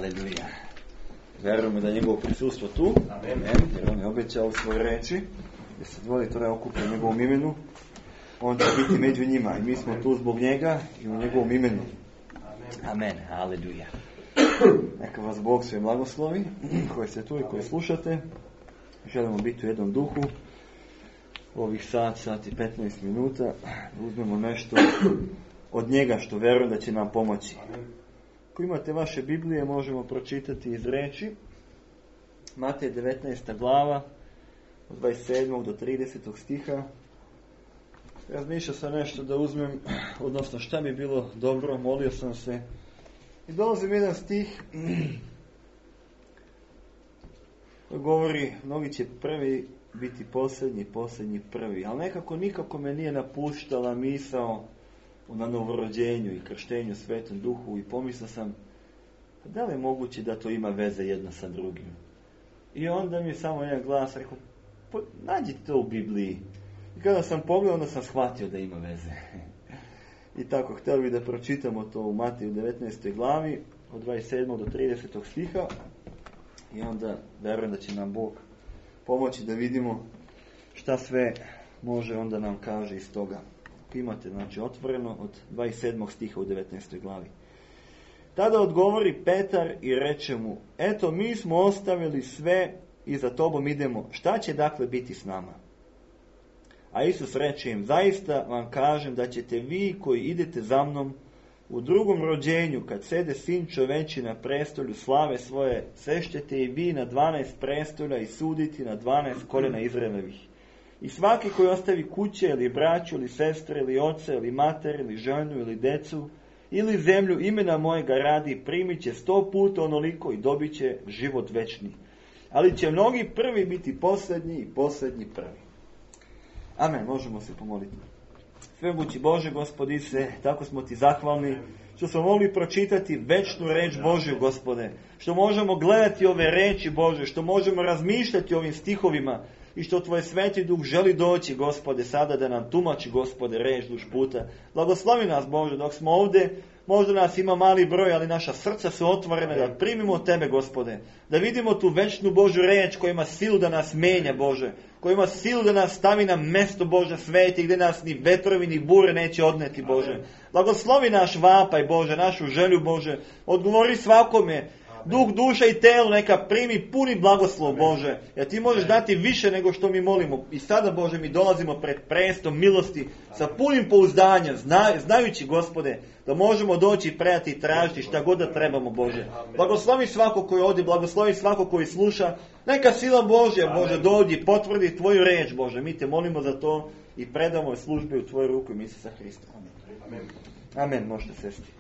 Aleluja. Verujemo da je njegovo prisustvo tu. Amen. Jer on je obećao u svojoj reči da se dvoje Tore okupe u njegovom imenu. On će biti među njima i mi smo tu zbog njega i u njegovom imenu. Amen. Aleluja. Neka vas Bog sve blagoslovi, koji ste tu i koji slušate. Želimo biti u jednom duhu. Ovih sat i 15 minuta da uzmemo nešto od njega što verujem da će nam pomoći. Ako imate vaše Biblije, možemo pročitati iz reči. Matej 19. glava, od 27. do 30. stiha. Razmišljao sam nešto da uzmem, odnosno šta bi bilo dobro, molio sam se. I dolazim jedan stih koji govori, mnogi će prvi biti posljednji, posljednji prvi. Ali nikako me nije napuštala misao na novorođenju i krštenju Svetom Duhu i pomislio sam, da li je moguće da to ima veze jedno sa drugim? I onda mi je samo jedan glas rekao, nađi to u Bibliji. I kada sam pogledao, onda sam shvatio da ima veze. I tako, htio bih da pročitamo to u Mateju 19. glavi, od 27. do 30. stiha. I onda verujem da će nam Bog pomoći da vidimo šta sve može onda nam kaže iz toga. Imate, znači, otvoreno od 27. stiha u 19. glavi. Tada odgovori Petar i reče mu, eto, mi smo ostavili sve i za tobom idemo. Šta će dakle biti s nama? A Isus reče im, zaista vam kažem da ćete vi koji idete za mnom u drugom rođenju, kad sede Sin čoveči na prestolju slave svoje, sešćete i vi na 12 prestolja i suditi na 12 koljena Izraelovih. I svaki koji ostavi kuće ili braću ili sestre ili oca ili mater ili ženu ili decu ili zemlju imena mojega radi, primit će 100 puta onoliko i dobit će život večni. Ali će mnogi prvi biti posljednji i posljednji prvi. Amen, možemo se pomoliti. Svemogući Bože, Gospodi se, tako smo ti zahvalni što smo mogli pročitati večnu reč Božju, Gospode, što možemo gledati ove reči Bože, što možemo razmišljati o ovim stihovima i što Tvoj Sveti Duh želi doći, Gospode, sada da nam tumači, Gospode, reč duž puta. Blagoslovi nas, Bože, dok smo ovdje. Možda nas ima mali broj, ali naša srca su otvorena da primimo od Tebe, Gospode. Da vidimo tu večnu Božju reč koja ima silu da nas menja, Bože. Koja ima silu da nas stavi na mesto, Bože, sveti, gdje nas ni vetrovi ni bure neće odneti, Bože. Blagoslovi naš vapaj, Bože, našu želju, Bože. Odgovori svakome. Duh, duša i telo neka primi puni blagoslov, Bože. Jer Ti možeš dati više nego što mi molimo. I sada, Bože, mi dolazimo pred prestom milosti sa punim pouzdanjem, znajući, Gospode, da možemo doći i predati i tražiti šta god da trebamo, Bože. Blagoslovi svako koji ovdje, blagoslovi svako koji sluša. Neka sila Božja, Bože, dođi i potvrdi Tvoju reč, Bože. Mi Te molimo za to i predamo službe u Tvoju ruku i Isusa Hrista. Amen. Amen, možete sesti.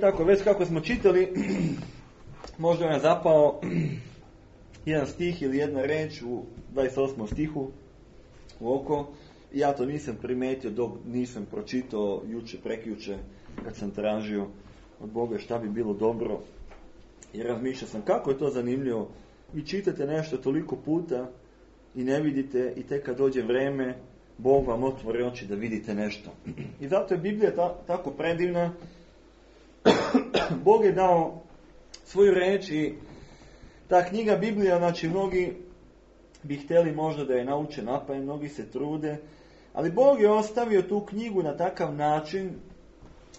Tako, već kako smo čitali, možda je zapao jedan stih ili jedna reč u 28. stihu u oko. Ja to nisam primetio dok nisam pročitao prekjuče kad sam tražio od Boga šta bi bilo dobro. I razmišljao sam kako je to zanimljivo. Vi čitate nešto toliko puta i ne vidite i tek kad dođe vreme Bog vam otvori oči da vidite nešto. I zato je Biblija tako predivna. Bog je dao svoju reč i ta knjiga Biblija, znači mnogi bi htjeli možda da je nauče napamet, mnogi se trude, ali Bog je ostavio tu knjigu na takav način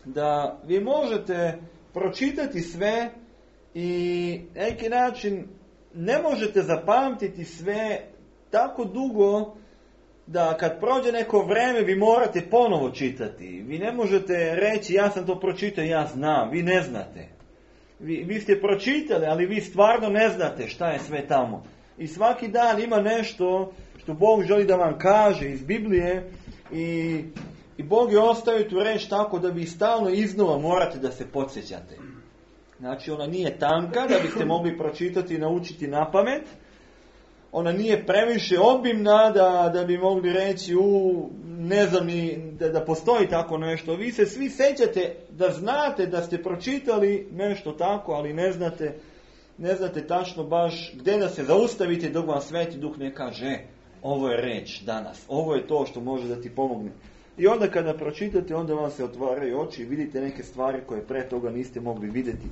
da vi možete pročitati sve i na neki način ne možete zapamtiti sve tako dugo da kad prođe neko vreme vi morate ponovo čitati. Vi ne možete reći ja sam to pročitao, ja znam. Vi ne znate. Vi ste pročitali, ali vi stvarno ne znate šta je sve tamo. I svaki dan ima nešto što Bog želi da vam kaže iz Biblije i Bog je ostavio tu reč tako da vi stalno iznova morate da se podsjećate. Znači ona nije tanka da biste mogli pročitati i naučiti napamet. Ona nije previše obimna da bi mogli reći ne znam ni da postoji tako nešto. Vi se svi sećate da znate da ste pročitali nešto tako, ali ne znate tačno baš gdje da se zaustavite dok vam Sveti Duh ne kaže ovo je reč danas, ovo je to što može da ti pomogne. I onda kada pročitate, onda vam se otvaraju oči i vidite neke stvari koje pre toga niste mogli vidjeti.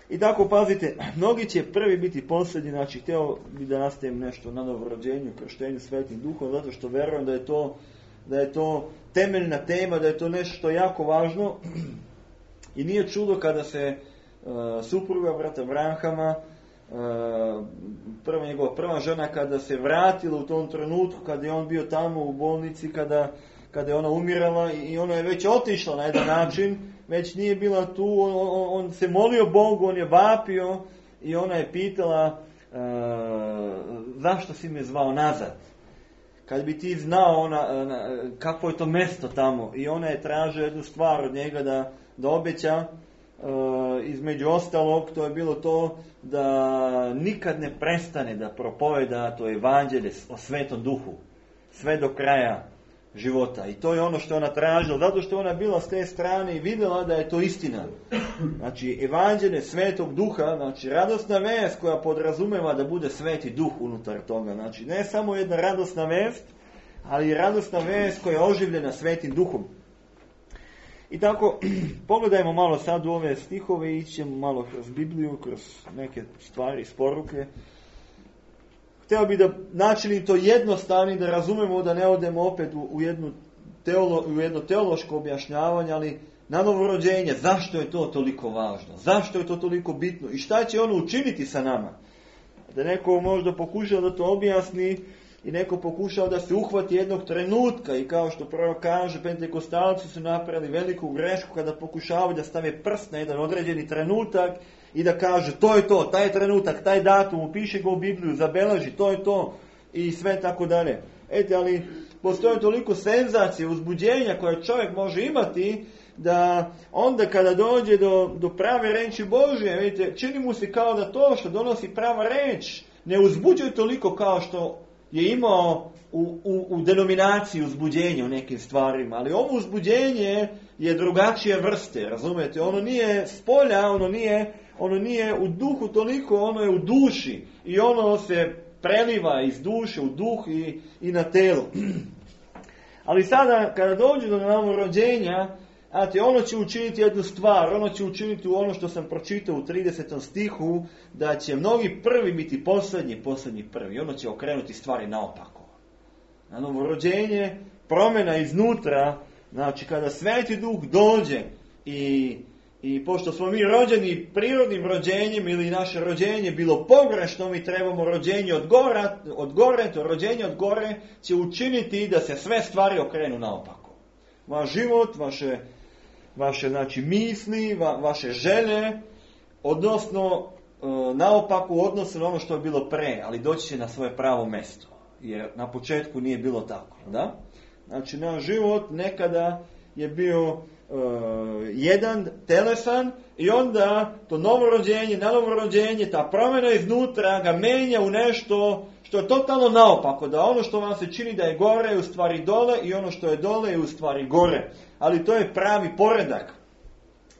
I tako, pazite, mnogi će prvi biti posljednji, znači htio bi da nastavim nešto na novorođenju, krštenju Svetim Duhom, zato što verujem da je to temeljna tema, da je to nešto što je jako važno. I nije čudo kada se supruga brata Branhama, njegova prva žena, kada se vratila u tom trenutku, kada je on bio tamo u bolnici, kada je ona umirala i ona je već otišla na jedan način, već nije bila tu, on se molio Bogu, on je vapio i ona je pitala zašto si me zvao nazad? Kad bi ti znao kakvo je to mjesto tamo, i ona je tražila jednu stvar od njega da obeća, između ostalog, to je bilo to da nikad ne prestane da propoveda to evanđelje o Svetom Duhu sve do kraja života. I to je ono što ona tražila, zato što ona bila s te strane i vidjela da je to istina. Znači, evanđelje Svetog Duha, znači radosna vest koja podrazumeva da bude Sveti Duh unutar toga. Znači, ne samo jedna radosna vest, ali i radosna vest koja je oživljena Svetim Duhom. I tako, pogledajmo malo sad u ove stihove i ićemo malo kroz Bibliju, kroz neke stvari iz poruke. Htio bi da načini to jednostavni, da razumemo, da ne odemo opet u jedno teološko objašnjavanje, ali na novorođenje, zašto je to toliko važno, zašto je to toliko bitno i šta će ono učiniti sa nama. Da neko možda pokušao da to objasni i neko pokušao da se uhvati jednog trenutka i kao što prvo kaže, pentekostalci su napravili veliku grešku kada pokušavaju da stave prst na jedan određeni trenutak i da kaže to je to, taj trenutak, taj datum, upiši ga u Bibliju, zabeleži, to je to i sve tako dalje. Ali postoje toliko senzacije, uzbuđenja koje čovjek može imati da onda kada dođe do prave reči Božje, vidite, čini mu se kao da to što donosi prava reč ne uzbuđuje toliko kao što je imao u denominaciji uzbuđenja u nekim stvarima, ali ovo uzbuđenje je drugačije vrste, razumijete? Ono nije s polja, ono nije u duhu toliko, ono je u duši i ono se preliva iz duše u duh i na telo. Ali sada kada dođe do novorođenja, ono će učiniti jednu stvar, ono će učiniti u ono što sam pročitao u 30. stihu, da će mnogi prvi biti posljednji prvi. Ono će okrenuti stvari naopako. Na novorođenje, promjena iznutra, znači kada Sveti Duh dođe i pošto smo mi rođeni prirodnim rođenjem ili naše rođenje bilo pogrešno, mi trebamo rođenje od gore, to rođenje od gore će učiniti da se sve stvari okrenu naopako. Vaš život, vaše znači misli, vaše želje, odnosno naopako u odnosu na ono što je bilo pre, ali doći će na svoje pravo mjesto. Jer na početku nije bilo tako. Da? Znači naš život nekada je bio jedan telesan i onda to novorođenje, ta promjena iznutra ga menja u nešto što je totalno naopako, da ono što vam se čini da je gore je u stvari dole i ono što je dole je u stvari gore. Ali to je pravi poredak.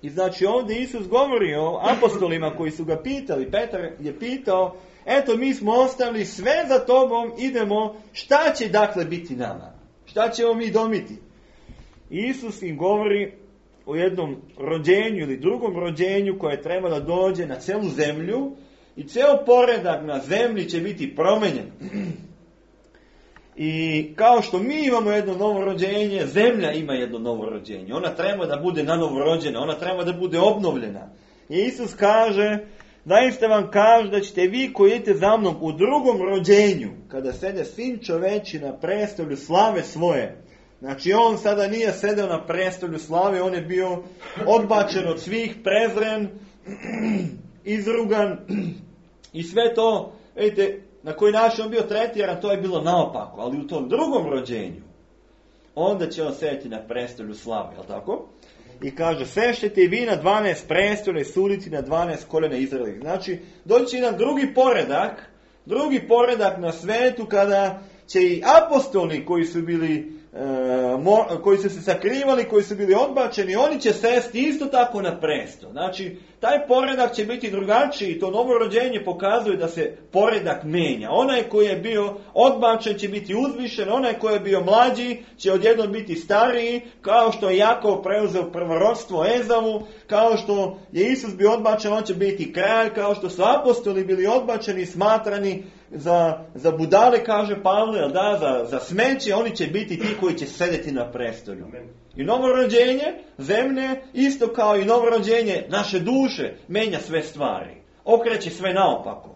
I znači ovdje Isus govori o apostolima koji su ga pitali, Petar je pitao, eto mi smo ostavili sve za tobom, idemo, šta će dakle biti nama? Šta ćemo mi domiti? Isus im govori o jednom rođenju ili drugom rođenju koje treba da dođe na celu zemlju i ceo poredak na zemlji će biti promenjen. I kao što mi imamo jedno novo rođenje, zemlja ima jedno novo rođenje. Ona treba da bude nanovorođena, ona treba da bude obnovljena. I Isus kaže, zaista vam kaže da ćete vi koji idete za mnom u drugom rođenju, kada sede Sin čoveči na prestolju slave svoje. Znači on sada nije sedeo na prestolju slave, on je bio odbačen od svih, prezren, izrugan i sve to, vidite, na koji način on bio tretiran, to je bilo naopako, ali u tom drugom rođenju, onda će on sedeti na prestolju slave, jel tako? I kaže, sešćete i vi na 12 prestolja i suditi na 12 koljena Izraelovih. Znači, doći će jedan drugi poredak na svetu kada će i apostoli koji su bili koji su se sakrivali, koji su bili odbačeni, oni će sesti isto tako na presto. Znači, taj poredak će biti drugačiji, to novorođenje pokazuje da se poredak menja. Onaj koji je bio odbačen će biti uzvišen, onaj koji je bio mlađi će odjednom biti stariji, kao što je Jakov preuzeo prvorodstvo Ezavu, kao što je Isus bio odbačen, on će biti kralj, kao što su apostoli bili odbačeni i smatrani za budale, kaže Pavle, za smeće, oni će biti ti koji će sedeti na prestolju. I novorođenje zemlje, isto kao i novorođenje naše duše, menja sve stvari. Okreće sve naopako.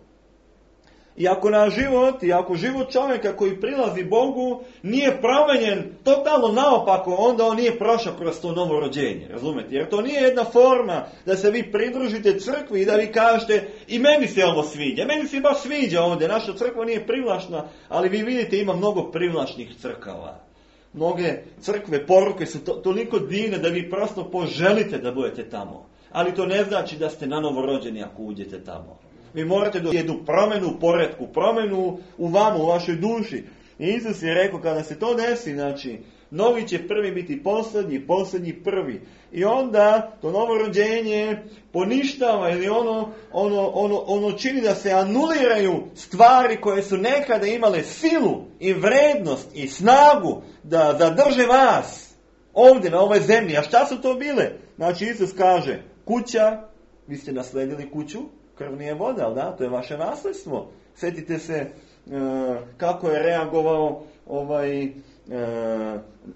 I ako naš život, i ako život čovjeka koji prilazi Bogu nije promenjen totalno naopako, onda on nije prošao kroz to novorođenje, razumete? Jer to nije jedna forma da se vi pridružite crkvi i da vi kažete i meni se ovo sviđa, meni se baš sviđa ovdje, naša crkva nije privlačna, ali vi vidite ima mnogo privlačnih crkava. Mnoge crkve, poruke su toliko divne da vi prosto poželite da budete tamo. Ali to ne znači da ste nanovorođeni ako uđete tamo. Vi morate do jednu promjenu u poretku, promjenu u vama, u vašoj duši. I Isus je rekao, kada se to desi, znači, novi će prvi biti posljednji, posljednji prvi. I onda to novorođenje poništava ili ono čini da se anuliraju stvari koje su nekada imale silu i vrednost i snagu da zadrže vas ovdje na ovoj zemlji. A šta su to bile? Znači Isus kaže, kuća, vi ste nasledili kuću, krv nije voda, ali da, to je vaše nasljedstvo. Sjetite se kako je reagovao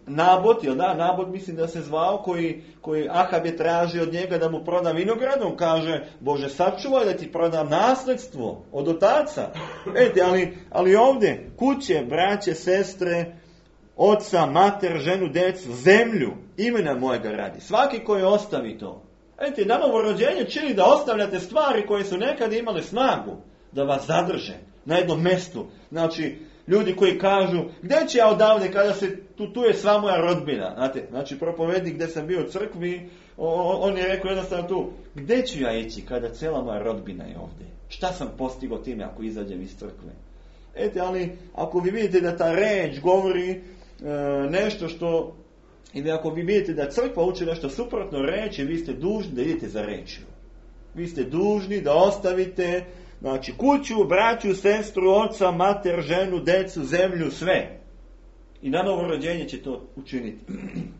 Nabot, jel da? Nabot mislim da se zvao, koji Ahab je tražio od njega da mu proda vinograd. On kaže, Bože, sačuvaj da ti prodam nasljedstvo od otaca. Vidite, ali ovdje kuće, braće, sestre, oca, mater, ženu, djecu, zemlju, imena mojega radi. Svaki koji ostavi to. Vidite, na novorođenje čini da ostavljate stvari koje su nekad imale snagu da vas zadrže na jednom mjestu. Znači, ljudi koji kažu, gdje ću ja odavde kada se tu je sva moja rodbina. Znate, znači, propovednik gdje sam bio u crkvi, on je rekao jednostavno tu, gdje ću ja ići kada cijela moja rodbina je ovdje? Šta sam postigao time ako izađem iz crkve? Ali ako vi vidite da ta reč govori nešto što, ili ako vi vidite da crkva uči nešto suprotno reći, vi ste dužni da idete za rečju. Vi ste dužni da ostavite, znači, kuću, braću, sestru, oca, mater, ženu, decu, zemlju, sve. I na novorođenje će to učiniti.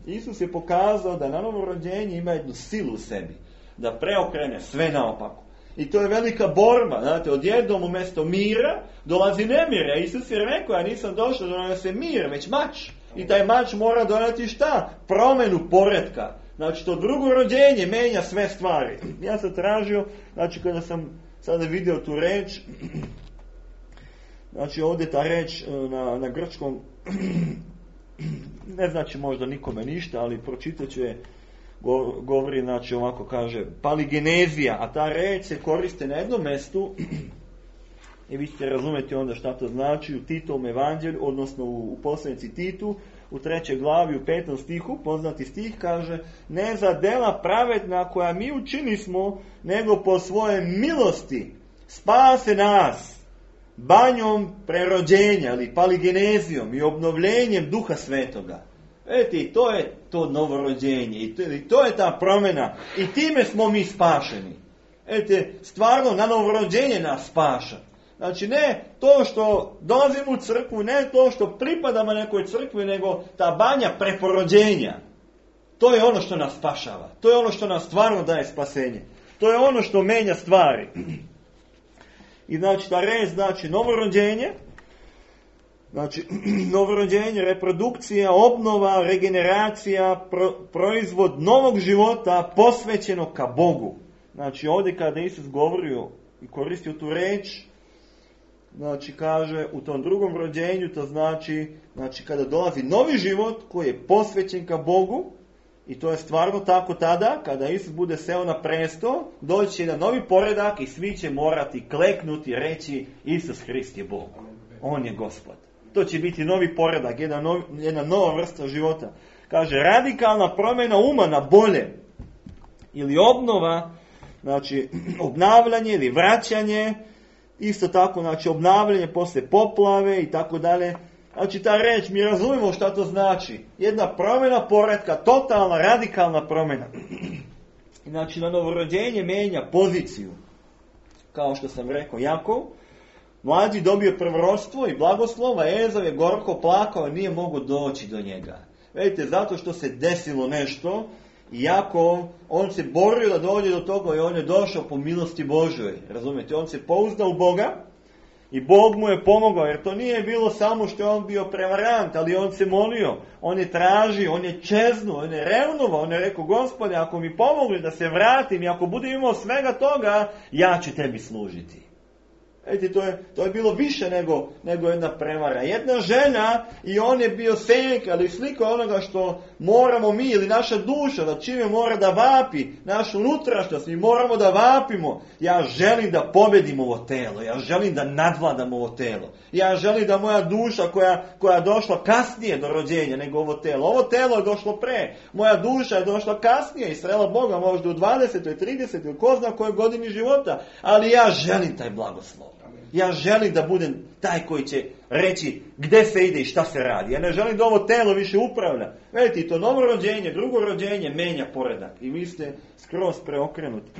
Isus je pokazao da na novorođenje ima jednu silu u sebi, da preokrene sve naopako. I to je velika borba, znate, odjednom umjesto mira dolazi nemir. A Isus je rekao, ja nisam došao da donese mir, već mač. I taj mač mora doneti šta? Promjenu poretka. Znači, to drugo rođenje menja sve stvari. Ja sam tražio, znači, kada sam sada vidio tu reč, znači, ovdje ta reč na grčkom, ne znači možda nikome ništa, ali pročitat ću je, govori, znači, ovako kaže, paligenezija, a ta reč se koriste na jednom mjestu, i vi ćete razumjeti onda šta to znači u Titovom evanđelju, odnosno u poslanici Titu, u 3. glavi, u 5. stihu, poznati stih, kaže, ne za dela pravedna koja mi učinismo, nego po svoje milosti spase nas banjom prerođenja, ili paligenezijom i obnovljenjem Duha Svetoga. Vidite, to je to novorođenje, i to je ta promjena, i time smo mi spašeni. Vidite, stvarno na novorođenje nas spaša. Znači, ne to što dolazimo u crkvu, ne to što pripadamo nekoj crkvi, nego ta banja preporođenja. To je ono što nas spašava. To je ono što nam stvarno daje spasenje. To je ono što menja stvari. I znači, ta reč znači novorođenje. Znači, novorođenje, reprodukcija, obnova, regeneracija, proizvod novog života posvećenog ka Bogu. Znači, ovdje kada Isus govorio i koristio tu reč, znači, kaže, u tom drugom rođenju, to znači kada dolazi novi život koji je posvećen ka Bogu, i to je stvarno tako tada, kada Isus bude seo na presto, doći će na novi poredak i svi će morati kleknuti i reći, Isus Hrist je Bog. On je Gospod. To će biti novi poredak, jedna nova vrsta života. Kaže, radikalna promjena uma na bolje, ili obnova, znači, obnavljanje ili vraćanje, isto tako, znači, obnavljanje posle poplave i tako dalje. Znači ta reč, mi razumijemo šta to znači. Jedna promjena poretka, totalna, radikalna promjena. Znači na novorođenje menja poziciju. Kao što sam rekao, Jakov, mlađi dobio prvorstvo i blagoslova, Ezav je gorko plakao i nije mogao doći do njega. Vidite, zato što se desilo nešto, i Jakov, on se borio da dođe do toga i on je došao po milosti Božoj. Razumijete, on se pouzdao u Boga i Bog mu je pomogao, jer to nije bilo samo što je on bio prevarant, ali on se molio, on je tražio, on je čeznuo, on je revnovao, on je rekao, Gospode, ako mi pomogli da se vratim i ako budem imao svega toga, ja ću tebi služiti. Vidite, to je bilo više nego jedna prevara. Jedna žena i on je bio senka, ali slika onoga što moramo mi ili naša duša, da čime mora da vapi, našu unutrašnjost, mi moramo da vapimo. Ja želim da pobedim ovo telo, ja želim da nadvladam ovo telo. Ja želim da moja duša koja je došla kasnije do rođenja nego ovo telo je došlo pre. Moja duša je došla kasnije i srela Boga možda u 20. 30. ili ko zna kojoj godini života, ali ja želim taj blagoslov. Ja želim da budem taj koji će reći gdje se ide i šta se radi. Ja ne želim da ovo telo više upravlja. Vidite, to novo rođenje, drugo rođenje menja poredak. I vi ste skroz preokrenuti.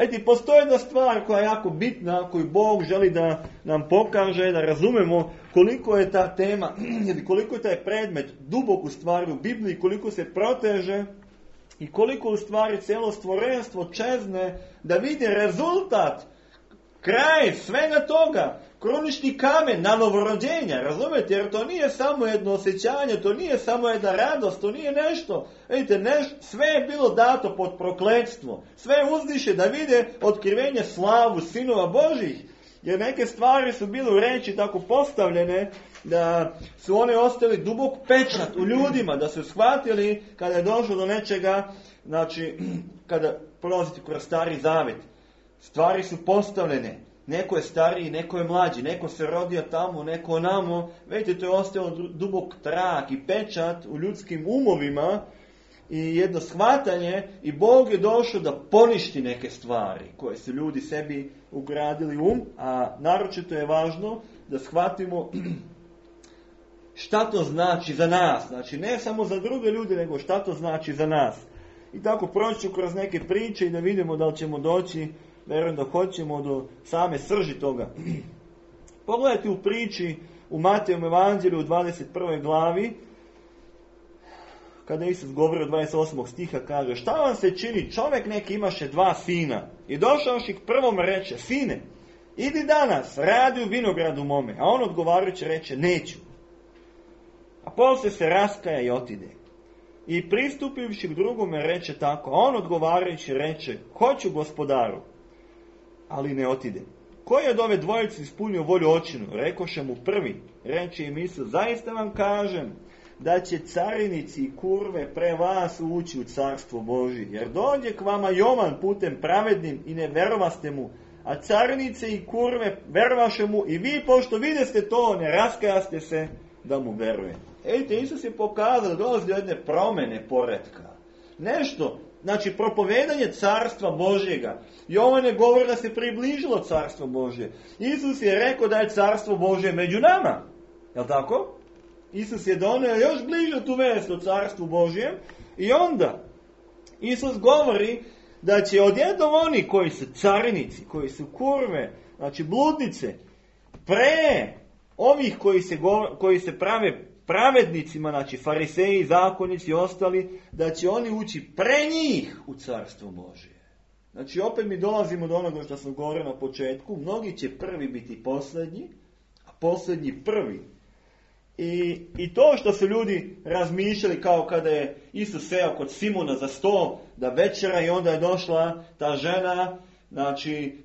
Vidite, postoji jedna stvar koja je jako bitna, koju Bog želi da nam pokaže, da razumemo koliko je ta tema, koliko je taj predmet dubok u stvari u Bibliji, koliko se proteže i koliko u stvari cijelo stvorenstvo čezne da vidi rezultat, kraj svega toga, krunični kamen na novorođenja, razumijete? Jer to nije samo jedno osjećanje, to nije samo jedna radost, to nije nešto. Vidite, sve je bilo dato pod prokletstvo. Sve uzdiše da vide otkrivenje slavu sinova Božih. Jer neke stvari su bile u reči tako postavljene da su one ostali dubok pečat u ljudima, da su shvatili kada je došlo do nečega, znači kada prolazite kroz Stari Zavet. Stvari su postavljene. Neko je stariji, neko je mlađi, neko se rodio tamo, neko onamo. Vidite, to je ostalo dubok trak i pečat u ljudskim umovima i jedno shvatanje i Bog je došao da poništi neke stvari koje su ljudi sebi ugradili u a naročito je važno da shvatimo šta to znači za nas. Znači, ne samo za druge ljude, nego šta to znači za nas. I tako proći ću kroz neke priče i da vidimo da li ćemo doći, vjerujem da hoćemo, do same srži toga. Pogledajte u priči u Matejovom evanđelju u 21. glavi, kada Isus govori od 28. stiha, kaže: šta vam se čini, čovjek neki imaše 2 sina i došavši k prvom reče: sine, idi danas, radi u vinogradu mome. A on odgovarajući reče: neću. A poslije se raskaja i otide. I pristupivši k drugome reče tako, a on odgovarajući reče: hoću, gospodaru, ali ne otide. Koji od ove dvojice ispunio volju očinu? Rekoše mu prvi. Reče im Isus: zaista vam kažem da će carinici i kurve pre vas ući u carstvo Božje. Jer dođe k vama Jovan putem pravednim i ne verovaste mu, a carinice i kurve verovaše mu i vi, pošto videste to, ne raskajaste se da mu veruje. Vidite, Isus je pokazao da dolazi do jedne promjene poretka. Nešto, znači propovedanje carstva Božjega. Jovan je govori da se približilo carstvo Božje. Isus je rekao da je carstvo Božje među nama. Jel' tako? Isus je donio još bliže tu vest o carstvu Božjem i onda Isus govori da će odjednom oni koji su carinici, koji su kurve, znači bludnice, pre ovih koji se prave pravednicima, znači fariseji, zakonici i ostali, da će oni ući pre njih u carstvo Božje. Znači opet mi dolazimo do onoga što sam govorio na početku, mnogi će prvi biti posljednji, a posljednji prvi. I to što su ljudi razmišljali kao kada je Isus seo kod Simona za sto da večera i onda je došla ta žena, znači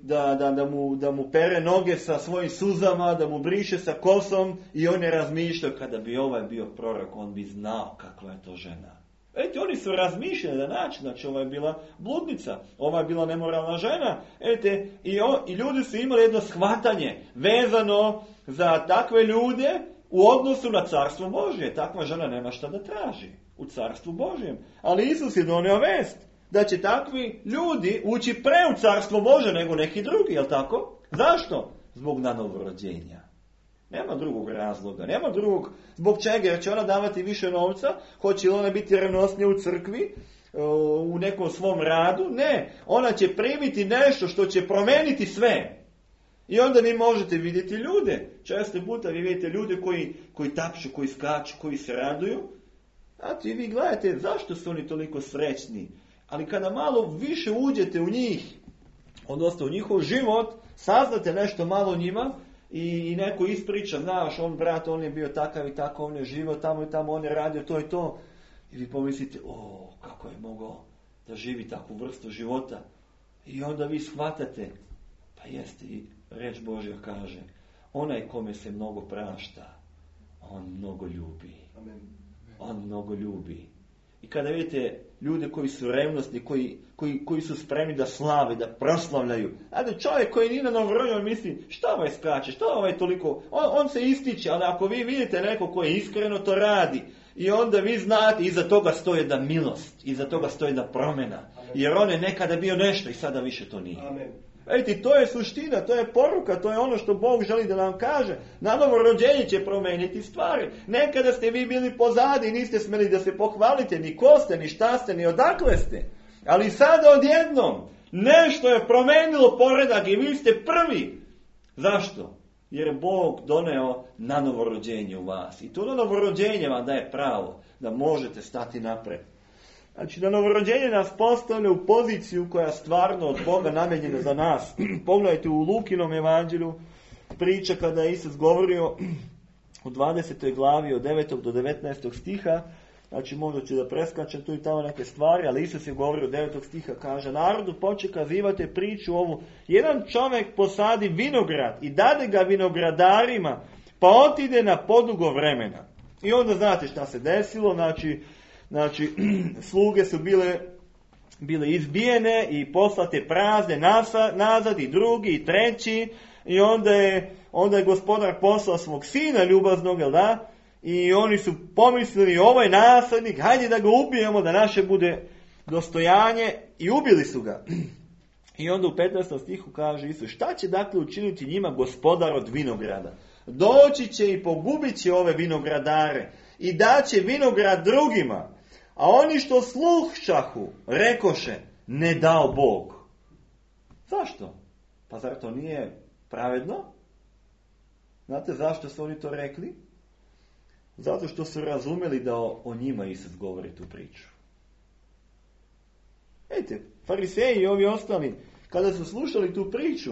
da mu pere noge sa svojim suzama, da mu briše sa kosom i on je razmišljao kada bi ovaj bio prorok, on bi znao kakva je to žena. Vidite, oni su razmišljali na način, znači ova je bila bludnica, ova je bila nemoralna žena. Vidite, i ljudi su imali jedno shvatanje vezano za takve ljude u odnosu na carstvo Božje. Takva žena nema šta da traži u carstvu Božjem. Ali Isus je donio vest da će takvi ljudi ući pre u carstvo Božje nego neki drugi, jel tako? Zašto? Zbog nanovorođenja. Nema drugog razloga, nema drugog zbog čega, jer će ona davati više novca, hoće li ona biti revnosnija u crkvi, u nekom svom radu, ne, ona će primiti nešto što će promeniti sve. I onda vi možete vidjeti ljude, često puta vi vidite ljude koji tapšu, koji skaču, koji se raduju, znate, i vi gledate zašto su oni toliko srećni, ali kada malo više uđete u njih, odnosno u njihov život, saznate nešto malo o njima, i neko ispriča, znaš, on brat, on je bio takav i tako, on je živio tamo i tamo, on je radio to i to. I vi pomislite, kako je mogao da živi takvu vrstu života. I onda vi shvatate, pa jeste, i reč Božja kaže, onaj kome se mnogo prašta, on mnogo ljubi. Amen. On mnogo ljubi. I kada vidite ljude koji su revnosni, koji su spremni da slave, da proslavljaju. Ajde, čovjek koji nije na novorođenju misli, šta ovaj skače, šta ovaj toliko, on se ističe, ali ako vi vidite neko koji iskreno to radi, i onda vi znate, iza toga stoji jedna milost, iza toga stoji jedna promjena. Jer on je nekada bio nešto i sada više to nije. Amen. Vidite, to je suština, to je poruka, to je ono što Bog želi da nam kaže. Na novorođenje će promijeniti stvari. Nekada ste vi bili pozadi i niste smjeli da se pohvalite, ni ko ste, ni šta ste, ni odakle ste. Ali sada odjednom nešto je promijenilo poredak i vi ste prvi. Zašto? Jer je Bog doneo na novorođenje u vas. I to na novorođenje vam daje pravo da možete stati napred. Znači, da novorođenje nas postavlja u poziciju koja je stvarno od Boga namijenjena za nas. Pogledajte u Lukinom evanđelju priča kada je Isus govorio u 20. glavi od 9. do 19. stiha. Znači, možda ću da preskačem tu i tamo neke stvari, ali Isus je govorio od 9. stiha, kaže, narodu poče kazivate priču ovu. Jedan čovjek posadi vinograd i dade ga vinogradarima, pa otide na podugo vremena. I onda znate šta se desilo, znači, sluge su bile izbijene i poslate prazne nazad i drugi i treći. I onda je gospodar poslao svog sina ljubaznog, jel da? I oni su pomislili, ovaj nasadnik, hajde da ga ubijemo, da naše bude dostojanje. I ubili su ga. I onda u 15. stihu kaže Isus, šta će dakle učiniti njima gospodar od vinograda? Doći će i pogubit će ove vinogradare i daće vinograd drugima. A oni što slušahu, rekoše, ne dao Bog. Zašto? Pa zar to nije pravedno? Znate zašto su oni to rekli? Zato što su razumeli da o njima Isus govori tu priču. Vidite, fariseji i ovi ostali, kada su slušali tu priču,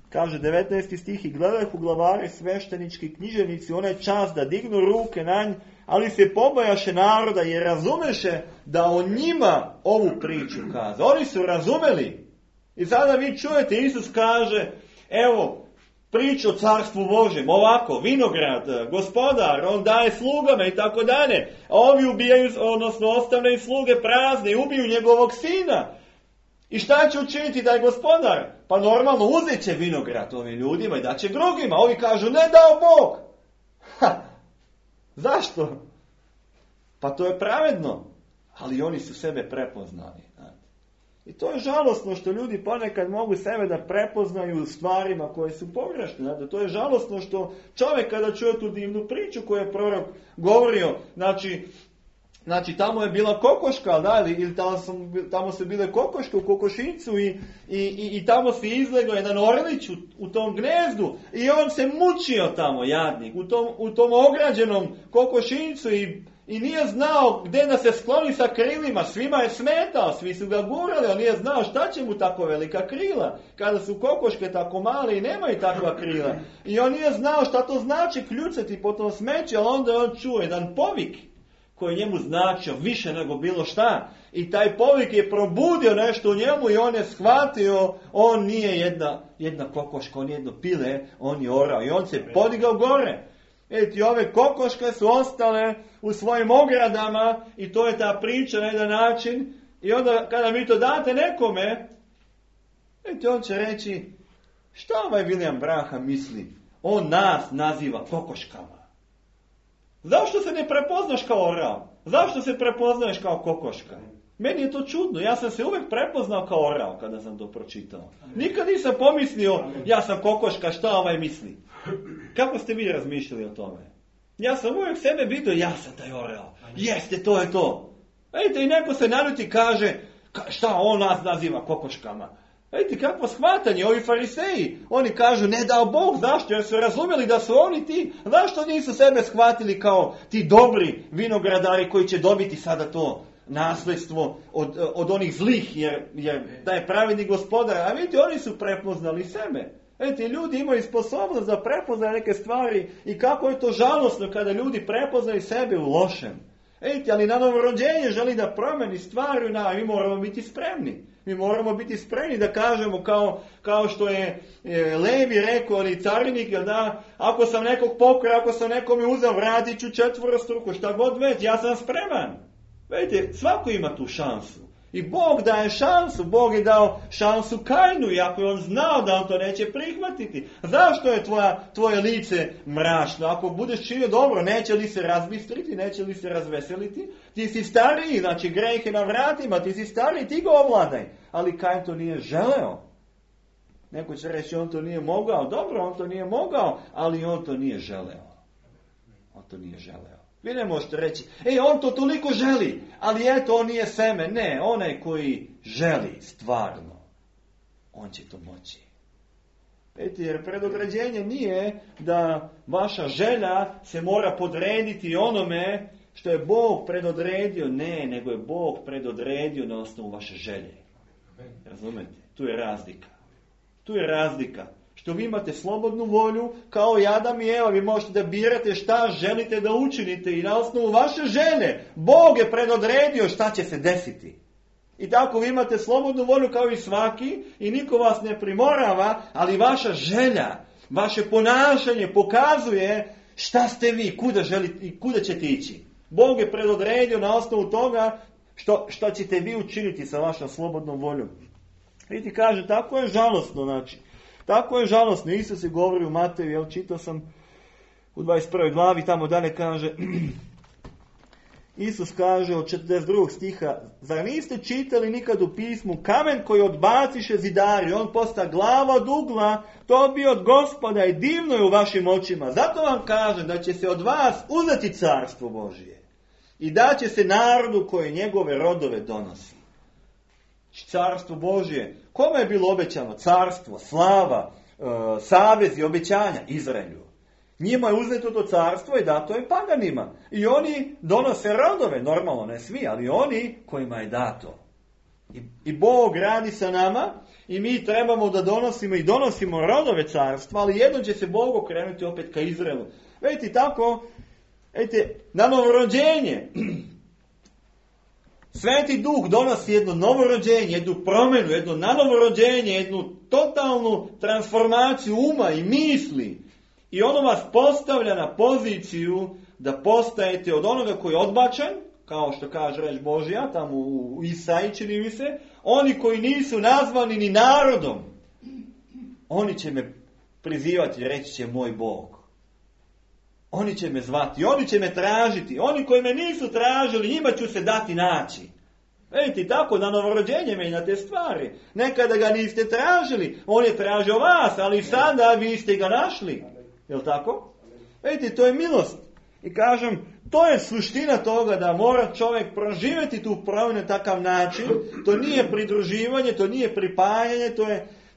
kaže 19. stih, i gledahu glavare sveštenički književnici onaj čas da dignu ruke na nj, ali se pobojaše naroda jer razumeše da o njima ovu priču kaza. Oni su razumeli. I sada vi čujete, Isus kaže, evo, priču o carstvu Božjem, ovako, vinograd, gospodar, on daje slugama i tako dalje. A ovi ubijaju, odnosno ostavljaju sluge prazne i ubiju njegovog sina. I šta će učiniti da je gospodar? Pa normalno uzet će vinograd ovim ljudima i da će drugima. Ovi kažu, ne dao Bog. Zašto? Pa to je pravedno. Ali oni su sebe prepoznali. I to je žalosno što ljudi ponekad mogu sebe da prepoznaju u stvarima koje su pogrešne. To je žalosno što čovjek kada čuje tu divnu priču koju je prorok govorio, znači tamo je bila kokoška, da, ili tamo su bile kokoške u kokošincu i tamo se izlegao jedan orlić u tom gnezdu i on se mučio tamo, jadnik, u tom ograđenom kokošincu i nije znao gdje da se skloni sa krilima, svima je smetao, svi su ga gurali, on nije znao šta će mu tako velika krila, kada su kokoške tako male i nemaju takva krila. I on nije znao šta to znači kljucati po tom smeću, ali onda on čuo jedan povik koji njemu značio više nego bilo šta. I taj povik je probudio nešto u njemu i on je shvatio, on nije jedna kokoška, on je jedno pile, on je orao i on se podigao gore. Vidite, ove kokoške su ostale u svojim ogradama i to je ta priča na jedan način. I onda kada vi to date nekome, vidite, on će reći, šta ovaj William Branham misli? On nas naziva kokoškama. Zašto se ne prepoznaš kao orao? Zašto se prepoznaješ kao kokoška? Meni je to čudno. Ja sam se uvijek prepoznao kao orao kada sam to pročitao. Nikad nisam pomislio, ja sam kokoška, šta ovaj misli? Kako ste vi razmišljali o tome? Ja sam uvijek sebe vidio, ja sam taj oreo. Jeste, to je to. Vidite, i neko se naljuti kaže, šta on nas naziva kokoškama? Vidite, kakvo shvatanje, ovi fariseji, oni kažu, ne dao Bog, zašto? Jer su razumjeli da su oni ti, zašto nisu sebe shvatili kao ti dobri vinogradari koji će dobiti sada to nasljedstvo od onih zlih, jer taj pravedni gospodar, a vidite, oni su prepoznali sebe. Vidite, ljudi imaju sposobnost da prepoznaju neke stvari i kako je to žalosno kada ljudi prepoznaju sebe u lošem. Vidite, ali na novorođenje želi da promeni stvari, mi moramo biti spremni. Mi moramo biti spremni da kažemo kao što je Levi rekao, ali carinik, da ako sam nekog pokrao, ako sam nekome uzeo, vratit ću 4 šta god već, ja sam spreman. Vidite, svako ima tu šansu. I Bog daje šansu, Bog je dao šansu Kainu, iako je on znao da on to neće prihvatiti. Zašto je tvoje lice mračno? Ako budeš činio dobro, neće li se razbistriti, neće li se razveseliti? Ti si stariji, znači greh je na vratima, ti si stariji, ti ga ovladaj. Ali Kain to nije želeo. Neko će reći, on to nije mogao. Dobro, on to nije mogao, ali on to nije želeo. On to nije želeo. Vi ne možete reći, on to toliko želi, ali eto, on nije seme. Ne, onaj koji želi stvarno, on će to moći. Vidite, jer predodređenje nije da vaša želja se mora podrediti onome što je Bog predodredio. Ne, nego je Bog predodredio na osnovu vaše želje. Razumete? Tu je razlika. Tu je razlika. Što vi imate slobodnu volju, kao i Adam i Eva, vi možete da birate šta želite da učinite i na osnovu vaše želje Bog je predodredio šta će se desiti. I tako vi imate slobodnu volju kao i svaki i niko vas ne primorava, ali vaša želja, vaše ponašanje pokazuje šta ste vi, kuda želite i kuda ćete ići. Bog je predodredio na osnovu toga što ćete vi učiniti sa vašom slobodnom voljom. Vidite, kaže, tako je žalosno, znači. Tako je žalosno. Isus je govori u Mateju, čitao sam u 21. glavi, tamo dalje kaže, Isus kaže od 42. stiha, zar niste čitali nikad u pismu, kamen koji odbaciše zidari, on posta glava od ugla, to bi od Gospoda i divno je u vašim očima. Zato vam kažem da će se od vas uzeti carstvo Božije i da će se narodu koji njegove rodove donosi. Carstvo Božije. Kome je bilo obećano? Carstvo, slava, savez i obećanja Izraelju. Njima je uzeto to carstvo i dato je paganima. I oni donose rodove, normalno ne svi, ali oni kojima je dato. I Bog radi sa nama i mi trebamo da donosimo rodove carstva, ali jednom će se Bog okrenuti opet ka Izraelu. Vidite, tako, na novorođenje Sveti Duh donosi jedno novorođenje, jednu promjenu, jedno nanovorođenje, jednu totalnu transformaciju uma i misli. I ono vas postavlja na poziciju da postajete od onoga koji je odbačen, kao što kaže reč Božja, tamo u Isaiji čini mi se, oni koji nisu nazvani ni narodom, oni će me prizivati i reći će moj Bog. Oni će me zvati, oni će me tražiti. Oni koji me nisu tražili, njima ću se dati naći. Vidite, tako na novorođenje menjate stvari. Nekada ga niste tražili, on je tražio vas, ali sada vi ste ga našli. Jel tako? Vidite, to je milost. I kažem, to je suština toga da mora čovjek proživjeti tu promjenu na takav način. To nije pridruživanje, to nije pripajanje,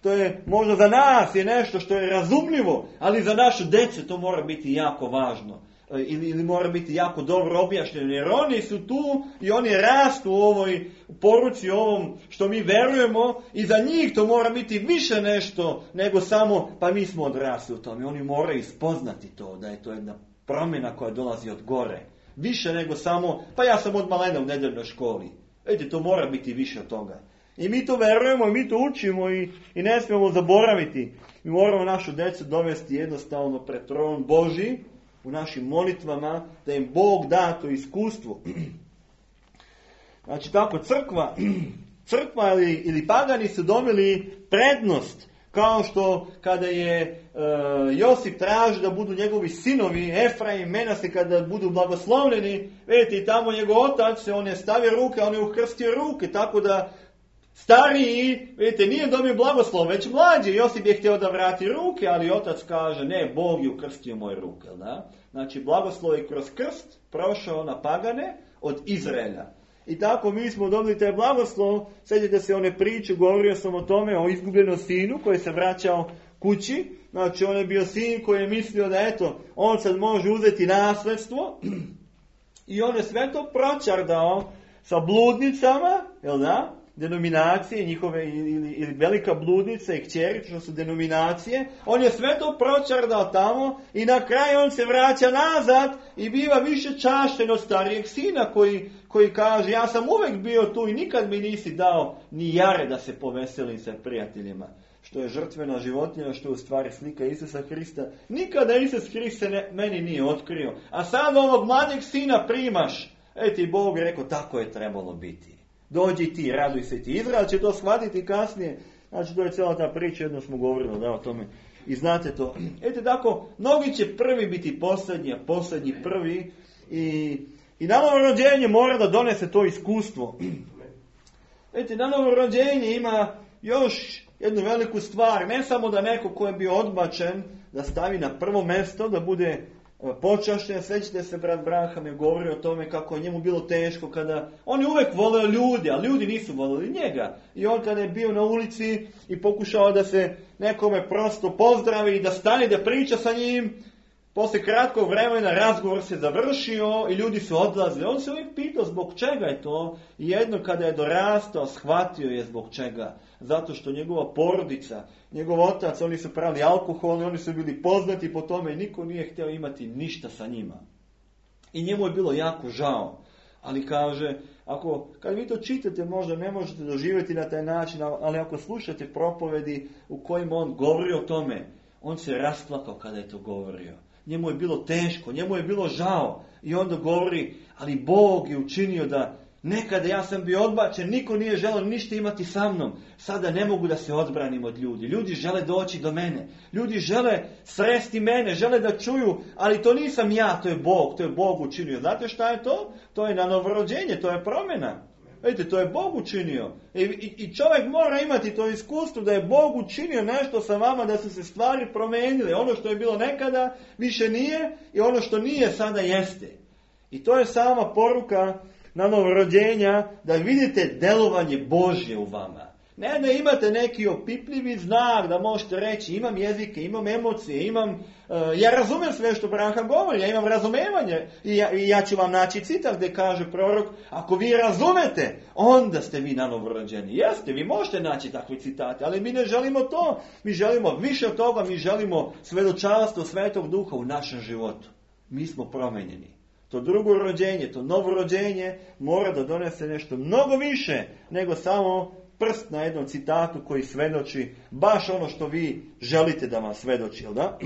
to je možda za nas je nešto što je razumljivo, ali za našu djecu to mora biti jako važno. Ili mora biti jako dobro objašnjeno, jer oni su tu i oni rastu u ovoj poruci, ovom što mi verujemo i za njih to mora biti više nešto nego samo, pa mi smo odrasli u tome. Oni moraju spoznati to, da je to jedna promjena koja dolazi od gore. Više nego samo, pa ja sam od malena u nedeljnoj školi. Vidite, to mora biti više od toga. I mi to verujemo, i mi to učimo i ne smijemo zaboraviti. Mi moramo našu djecu dovesti jednostavno pred tron Božji u našim molitvama, da im Bog da to iskustvo. Znači tako, crkva ili pagani su dobili prednost, kao što kada je Josip traži da budu njegovi sinovi, Efraim, Menase, kada budu blagoslovljeni, vidite, i tamo njegov otac, on je stavio ruke, on je ukrstio ruke, tako da Stariji, vidite, nije dobio blagoslov, već mlađi. Josip je htio da vrati ruke, ali otac kaže, ne, Bog je ukrstio moje ruke. Da? Znači, blagoslov je kroz krst prošao na pagane od Izraela. I tako mi smo dobili taj blagoslov. Sjećate se one priče, govorio sam o tome, o izgubljenom sinu koji se vraćao kući. Znači, on je bio sin koji je mislio da, eto, on sad može uzeti nasledstvo. I on je sve to pročardao sa bludnicama, jel da? Denominacije njihove, ili velika bludnica i kćeri, što su denominacije. On je sve to pročardao tamo i na kraju on se vraća nazad i biva više čašten od starijeg sina koji kaže, ja sam uvijek bio tu i nikad mi nisi dao ni jare da se poveselim sa prijateljima. Što je žrtvena životinja, što je u stvari slika Isusa Hrista. Nikada Isus Hrist se meni nije otkrio. A sad ovog mladeg sina primaš. Ti Bog je rekao, tako je trebalo biti. Dođi ti, raduj se ti. Izrael će to shvatiti kasnije. Znači, to je cijela ta priča, jedno smo govorili da, o tome. I znate to. Tako, mnogi će prvi biti posljednji, a posljednji prvi. I na novo rođenje mora da donese to iskustvo. Na novo rođenje ima još jednu veliku stvar. Ne samo da neko ko je bio odbačen, da stavi na prvo mjesto, da bude počašćen. Sjećate se, brat Branham je govorio o tome kako je njemu bilo teško kada... On je uvijek voleo ljudi, a ljudi nisu voleli njega. I on kada je bio na ulici i pokušao da se nekome prosto pozdravi i da stane da priča sa njim, poslije kratkog vremena razgovor se završio i ljudi su odlazili. On se uvijek pitao zbog čega je to. I jedno kada je dorastao, shvatio je zbog čega. Zato što njegova porodica, njegov otac, oni su pravili alkohol, oni su bili poznati po tome i niko nije htio imati ništa sa njima. I njemu je bilo jako žao. Ali kaže, kad vi to čitate, možda ne možete doživjeti na taj način, ali ako slušate propovedi u kojima on govori o tome, on se rasplakao kada je to govorio. Njemu je bilo teško, njemu je bilo žao. I onda govori, ali Bog je učinio da nekada ja sam bio odbačen, niko nije želeo ništa imati sa mnom. Sada ne mogu da se odbranim od ljudi. Ljudi žele doći do mene. Ljudi žele sresti mene, žele da čuju, ali to nisam ja, to je Bog učinio. Znate šta je to? To je na novorođenje, to je promjena. Vidite, to je Bog učinio. I čovjek mora imati to iskustvo da je Bog učinio nešto sa vama, da su se stvari promijenile. Ono što je bilo nekada više nije i ono što nije sada jeste. I to je sama poruka na novorođenja, da vidite delovanje Božje u vama. Ne da imate neki opipljivi znak, da možete reći imam jezike, imam emocije, ja razumijem sve što Branham govori, ja imam razumevanje. I ja ću vam naći citat gdje kaže prorok, ako vi razumete, onda ste vi na novorođeni. Jeste, vi možete naći takve citate, ali mi ne želimo to. Mi želimo više od toga, mi želimo svjedočanstvo Svetog Duha u našem životu. Mi smo promenjeni. To drugo rođenje, to novo rođenje mora da donese nešto mnogo više nego samo prst na jednom citatu koji svedoči baš ono što vi želite da vam svedoči, jel da?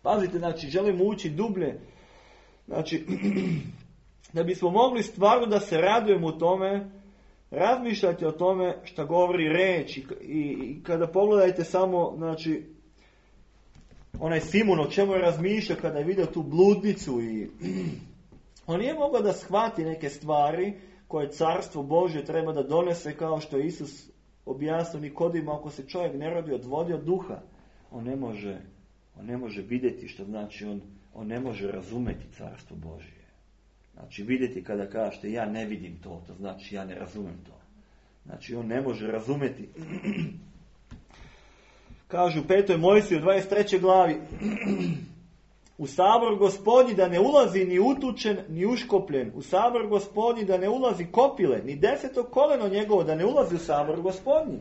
Pazite, znači, želimo ući dublje. Znači, da bismo mogli stvarno da se radujemo u tome, razmišljajte o tome što govori reč i kada pogledajte samo, znači, onaj Simon o čemu je razmišljao kada je vidio tu bludnicu i on nije mogao da shvati neke stvari koje Carstvo Božje treba da donese, kao što je Isus objasnio Nikodima, ako se čovjek ne rodi od vode, od duha, on ne može vidjeti, što znači on ne može razumeti Carstvo Božje. Znači vidjeti kada kažete ja ne vidim to znači ja ne razumem to. Znači on ne može razumeti. Kažu u 5. Mojsiju 23. glavi, u sabor Gospodnji da ne ulazi ni utučen, ni uškopljen. U sabor Gospodnji da ne ulazi kopile, ni 10. koleno njegovo da ne ulazi u sabor Gospodnji.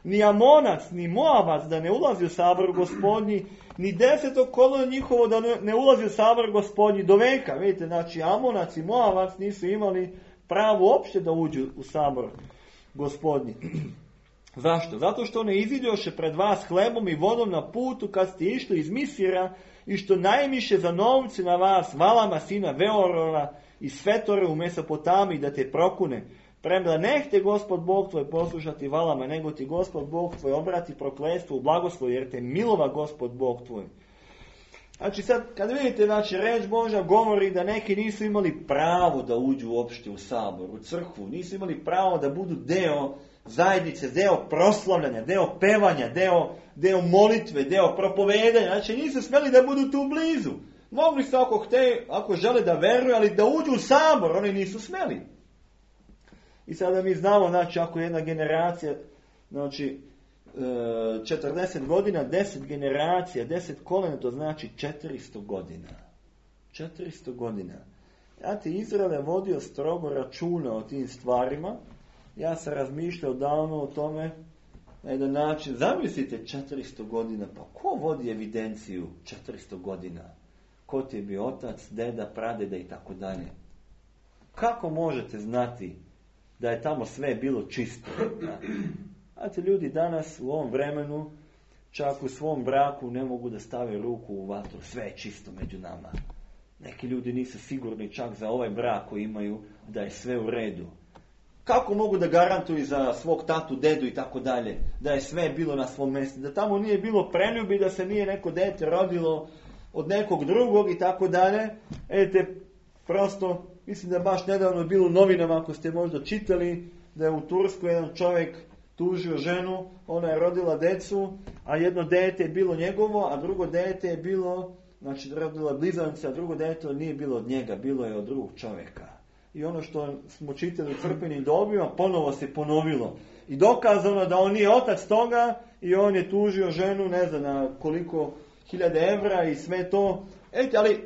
Ni Amonac, ni Moabac da ne ulazi u sabor Gospodnji, ni 10. koleno njihovo da ne ulazi u sabor Gospodnji do veka. Vidite, znači Amonac i Moabac nisu imali pravo uopšte da uđu u sabor Gospodnji. Zašto? Zato što ne iziđoše pred vas hlebom i vodom na putu kad ste išli iz Misira i što najmiše za novce na vas Valama sina Veorora i Svetore u Mesopotamiji da te prokune. Premda nehte Gospod Bog tvoj poslušati Valama, nego ti Gospod Bog tvoj obrati prokletstvo u blagoslov, jer te milova Gospod Bog tvoj. Znači sad, kad vidite, znači, reč Božja govori da neki nisu imali pravo da uđu uopšte u sabor, u crkvu, nisu imali pravo da budu deo zajednice, deo proslavljanja, deo pevanja, deo molitve, deo propovedanja. Znači nisu smjeli da budu tu blizu. Mogli su ako žele da veruju, ali da uđu u sabor, oni nisu smjeli. I sada mi znamo, znači ako jedna generacija, znači 40 godina, 10 generacija, 10 kolena, to znači 400 godina. 400 godina. Izrael je vodio strogo računa o tim stvarima. Ja sam razmišljao davno o tome na jedan način. Zamislite 400 godina, pa ko vodi evidenciju 400 godina? Ko ti je bio otac, deda, pradeda i tako dalje? Kako možete znati da je tamo sve bilo čisto? Ljudi danas u ovom vremenu čak u svom braku ne mogu da stave ruku u vatru. Sve je čisto među nama. Neki ljudi nisu sigurni čak za ovaj brak koji imaju da je sve u redu. Kako mogu da garantuju za svog tatu, dedu i tako dalje, da je sve bilo na svom mjestu, da tamo nije bilo preljubi, da se nije neko dete rodilo od nekog drugog i tako dalje. Prosto, mislim da baš nedavno bilo u novinama, ako ste možda čitali, da je u Turskoj jedan čovjek tužio ženu, ona je rodila decu, a jedno dete je bilo njegovo, a drugo dete je bilo, znači rodila blizance, a drugo dete nije bilo od njega, bilo je od drugog čovjeka. I ono što smo čitali u crkvenim dobima, ponovo se ponovilo. I dokazano da on nije otac toga i on je tužio ženu, ne znam na koliko 1000 evra i sve to.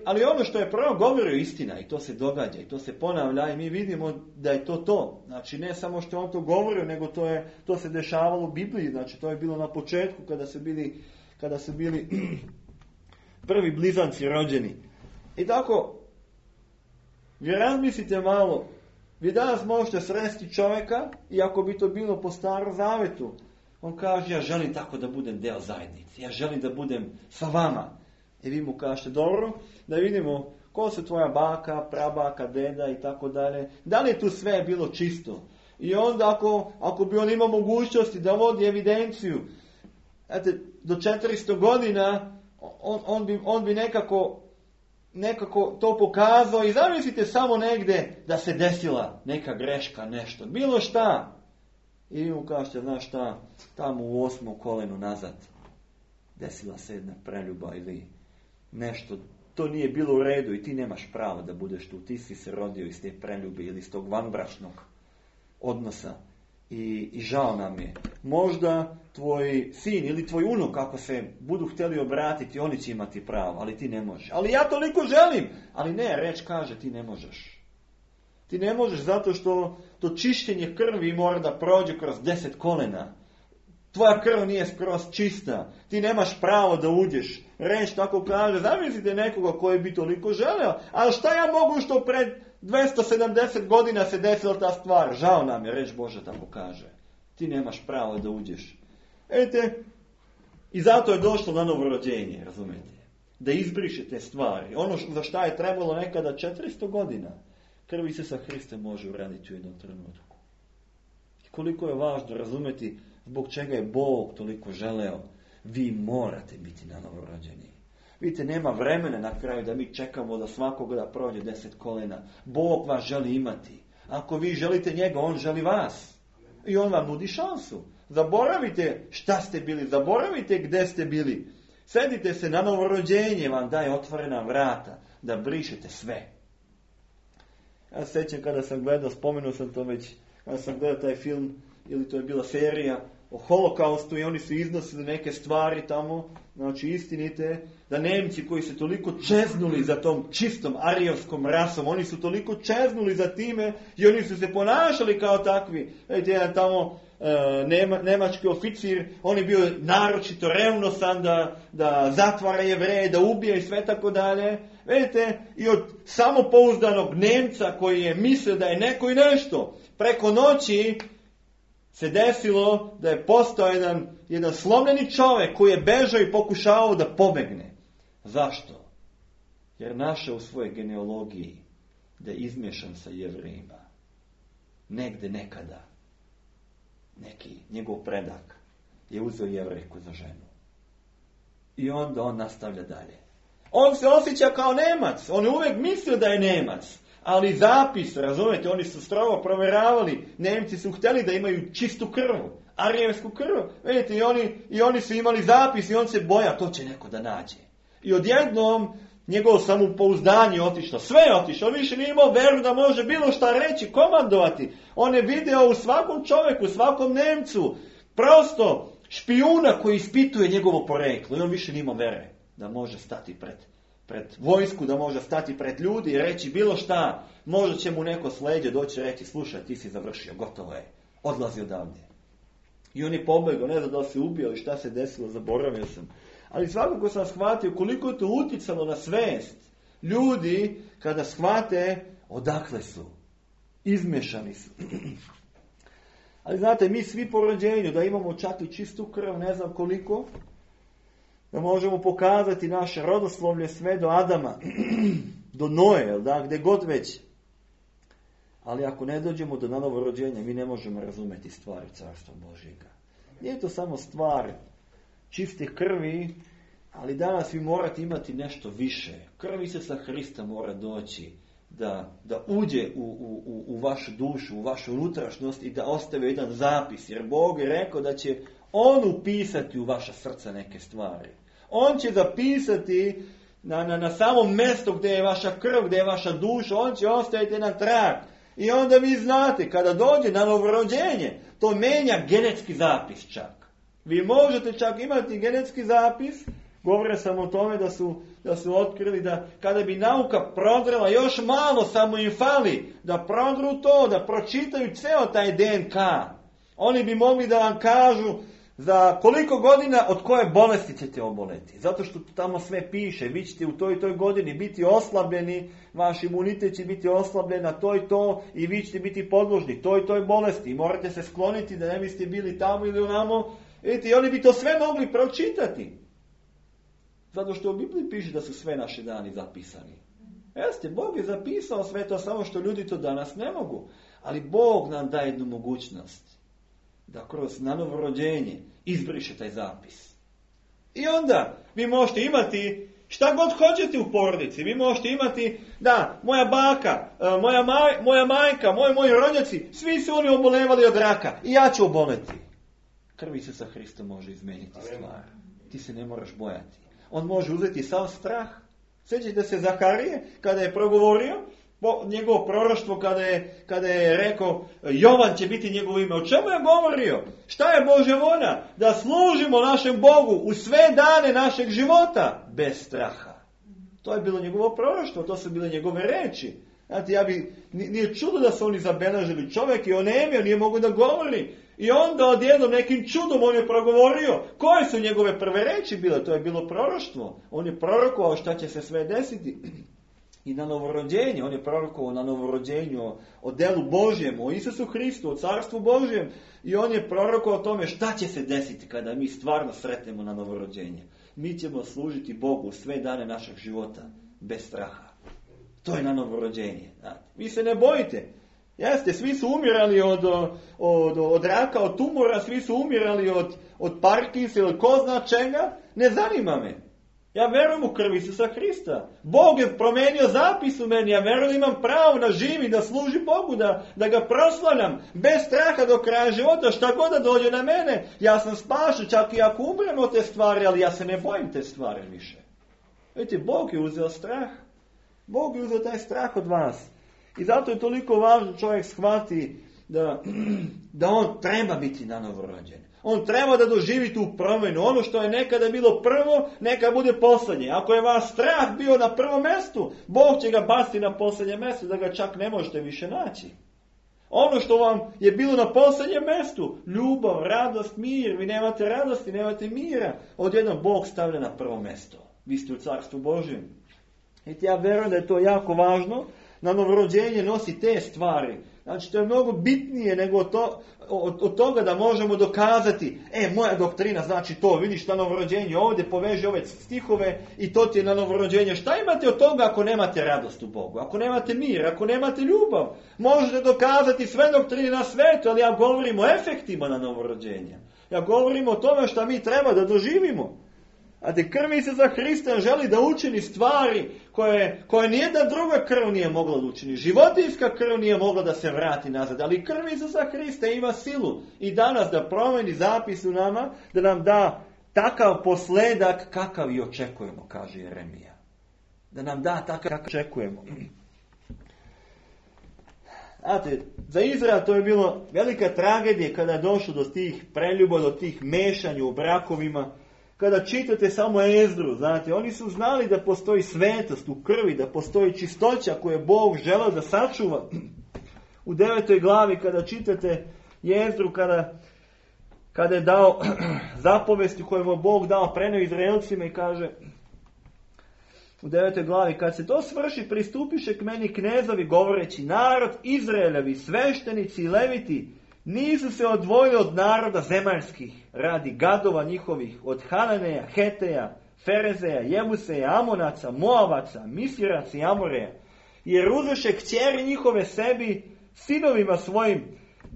Ali ono što je prvo govorio istina i to se događa i to se ponavlja i mi vidimo da je to. Znači ne samo što on to govorio, nego to se dešavalo u Bibliji. Znači to je bilo na početku kada su bili prvi blizanci rođeni. I tako, vi razmislite malo, vi danas možete sresti čovjeka i ako bi to bilo po Starom Zavetu, on kaže ja želim tako da budem deo zajednice, ja želim da budem sa vama. I vi mu kažete dobro, da vidimo ko su tvoja baka, prabaka, deda i tako dalje. Da li je tu sve bilo čisto? I onda ako bi on imao mogućnosti da vodi evidenciju, do 400 godina on bi nekako to pokazao i zamislite samo negdje da se desila neka greška, nešto, bilo šta. I vi mu kažete, znaš šta, tamo u 8. kolenu nazad desila se jedna preljuba ili nešto, to nije bilo u redu i ti nemaš pravo da budeš tu, ti si se rodio iz te preljube ili iz tog vanbračnog odnosa i žao nam je. Možda tvoj sin ili tvoj unuk, ako se budu htjeli obratiti, oni će imati pravo, ali ti ne možeš. Ali ja toliko želim, ali ne, reč kaže ti ne možeš. Ti ne možeš zato što to čišćenje krvi mora da prođe kroz 10 kolena. Tvoja krv nije skroz čista. Ti nemaš pravo da uđeš. Reč tako kaže, zamislite nekoga koji bi toliko želeo. Ali šta ja mogu što pred 270 godina se desila ta stvar? Žao nam je, reč Božja tako kaže. Ti nemaš pravo da uđeš. I zato je došlo na novorođenje, razumijete? Da izbriše te stvari. Ono za šta je trebalo nekada 400 godina. Krv Isusa Hrista može uraditi u jednom trenutku. I koliko je važno razumjeti zbog čega je Bog toliko želeo. Vi morate biti na novorođeni. Vidite, nema vremena na kraju da mi čekamo da svakoga da prođe 10 kolena. Bog vas želi imati. Ako vi želite njega, on želi vas. I on vam nudi šansu. Zaboravite šta ste bili, zaboravite gdje ste bili. Sedite se na novorođenje, vam daje otvorena vrata da brišete sve. Ja se sjećam kada sam gledao, spomenuo sam to već, kada sam gledao taj film, ili to je bila serija o holokaustu i oni su iznosili neke stvari tamo, znači istinite, da Nemci koji su toliko čeznuli za tom čistom arijevskom rasom, oni su toliko čeznuli za time i oni su se ponašali kao takvi. Vidite, jedan tamo nemački oficir, on je bio naročito revnosan da zatvara Jevreje, da ubije i sve tako dalje. Vidite, i od samopouzdanog Nemca koji je mislio da je neko i nešto, preko noći se desilo da je postao jedan slomljeni čovjek koji je bežao i pokušavao da pobegne. Zašto? Jer našao u svojoj genealogiji da je izmješan sa Jevrejima. Negde nekada. Neki njegov predak je uzeo Jevrejku za ženu. I onda on nastavlja dalje. On se osjeća kao Nemac. On je uvijek mislio da je Nemac. Ali zapis, razumete, oni su strogo provjeravali. Nemci su htjeli da imaju čistu krv, arijevsku krv. Vidite, i oni su imali zapis i on se boja, to će neko da nađe. I odjednom njegovo samopouzdanje otišlo, sve je otišlo, on više nije imao veru da može bilo šta reći, komandovati. On je video u svakom čovjeku, u svakom Nemcu, prosto špijuna koji ispituje njegovo poreklo. I on više nije imao vere da može stati pred vojsku, da može stati pred ljudi i reći bilo šta. Možda će mu neko s leđa doći reći, slušaj, ti si završio, gotovo je, odlazi odavde. I on je pobegao, ne znam da li se ubio ili šta se desilo, zaboravio sam. Ali svakako sam shvatio koliko je to uticalo na svest ljudi kada shvate odakle su. Izmešani su. Ali znate, mi svi po rođenju da imamo čak i čistu krv, ne znam koliko, da možemo pokazati naše rodoslovlje sve do Adama, do Noe, da, gdje god već. Ali ako ne dođemo do novorođenja, mi ne možemo razumjeti stvari Carstva Božjega. Nije to samo stvar čiste krvi, ali danas vi morate imati nešto više. Krv Isusa Hrista mora doći da uđe u vašu dušu, u vašu unutrašnjost i da ostave jedan zapis. Jer Bog je rekao da će On upisati u vaša srca neke stvari. On će zapisati na samom mjestu gdje je vaša krv, gdje je vaša duša, On će ostaviti jedan trag. I onda vi znate, kada dođe na novorođenje, to menja genetski zapis čak. Vi možete čak imati genetski zapis. Govorio sam o tome da su otkrili da kada bi nauka prodrela još malo, samo im fali da prodru to, da pročitaju ceo taj DNK. Oni bi mogli da vam kažu za koliko godina od koje bolesti ćete oboleti. Zato što tamo sve piše, vi ćete u toj i toj godini biti oslabljeni, vaš imunitet će biti oslabljen na to i to i vi ćete biti podložni toj i toj bolesti. I morate se skloniti da ne biste bili tamo ili onamo. Vidite, i oni bi to sve mogli pročitati. Zato što u Bibliji piše da su sve naše dani zapisani. Jeste, Bog je zapisao sve to, samo što ljudi to danas ne mogu. Ali Bog nam daje jednu mogućnost da kroz novorođenje izbriše taj zapis. I onda vi možete imati šta god hoćete u porodici. Vi možete imati, da, moja baka, moja majka, moji rođaci, svi su oni obolevali od raka. I ja ću oboleti. Krv Isusa Hrista može izmeniti stvar. Ti se ne moraš bojati. On može uzeti sav strah. Sjećate se Zaharije kada je progovorio njegovo proroštvo kada je rekao Jovan će biti njegovo ime. O čemu je govorio? Šta je Božja volja? Da služimo našem Bogu u sve dane našeg života bez straha. To je bilo njegovo proroštvo, to su bile njegove reči. Znate, nije čudo da su oni zabeležili. Čovjek je onemio, nije mogu da govori. I onda odjednom nekim čudom on je progovorio. Koje su njegove prve reči bile? To je bilo proroštvo. On je prorokovao šta će se sve desiti. I na novorođenje, on je prorokovao na novorođenju o delu Božjem, o Isusu Hristu, o Carstvu Božjem. I on je prorokovao o tome šta će se desiti kada mi stvarno sretnemo na novorođenje. Mi ćemo služiti Bogu sve dane našeg života bez straha. To je na novorođenje. Vi se ne bojite. Jeste, svi su umirali od raka, od tumora, svi su umirali od Parkinsa ili ko zna čega. Ne zanima me. Ja verujem u krv Isusa Hrista. Bog je promenio zapis u meni. Ja verujem da imam pravo da živim, da služim Bogu, da ga proslavljam. Bez straha do kraja života, šta god da dođe na mene. Ja sam spašen, čak i ako umrem od te stvari, ali ja se ne bojim te stvari više. Vidite, Bog je uzeo strah. Bog je uzeo taj strah od vas. I zato je toliko važno čovjek shvati da on treba biti na novorođen. On treba da doživi tu promjenu. Ono što je nekada bilo prvo, neka bude posljednje. Ako je vaš strah bio na prvom mjestu, Bog će ga baciti na posljednje mjesto, da ga čak ne možete više naći. Ono što vam je bilo na posljednjem mjestu, ljubav, radost, mir, vi nemate radosti, nemate mira, odjednom Bog stavlja na prvo mjesto. Vi ste u Carstvu Božjem. I ja verujem da je to jako važno. Na novorođenje nosi te stvari. Znači, to je mnogo bitnije nego od toga da možemo dokazati, moja doktrina znači to, vidiš na novorođenje, ovdje poveži ove stihove i to ti je na novorođenje. Šta imate od toga ako nemate radost u Bogu, ako nemate mir, ako nemate ljubav? Možete dokazati sve doktrine na svetu, ali ja govorim o efektima na novorođenje. Ja govorim o tome što mi treba da doživimo. A te krvi se za Hrista želi da učini stvari koje nijedna druga krv nije mogla da učini. Životinjska krv nije mogla da se vrati nazad, ali krv Isusa Hrista ima silu i danas da promeni zapis u nama, da nam da takav posledak kakav i očekujemo, kaže Jeremija. Da nam da takav kakav očekujemo. Znate, za Izrael to je bilo velika tragedija kada je došlo do tih preljuba, do tih mešanja u brakovima. Kada čitate samo Ezdru, znate, oni su znali da postoji svetost u krvi, da postoji čistoća koju je Bog želeo da sačuva. U 9. glavi kada čitate Ezdru, kada je dao zapovesti koje mu Bog dao preneo Izraelcima i kaže u 9. glavi, kad se to svrši, pristupiše k meni knezovi govoreći, narod Izraeljevi, sveštenici i leviti, nisu se odvojili od naroda zemaljskih, radi gadova njihovih, od Hananeja, Heteja, Ferezeja, Jebuseja, Amonaca, Moavaca, Misiraca i Amoreja, jer uzeše kćeri njihove sebi, sinovima svojim,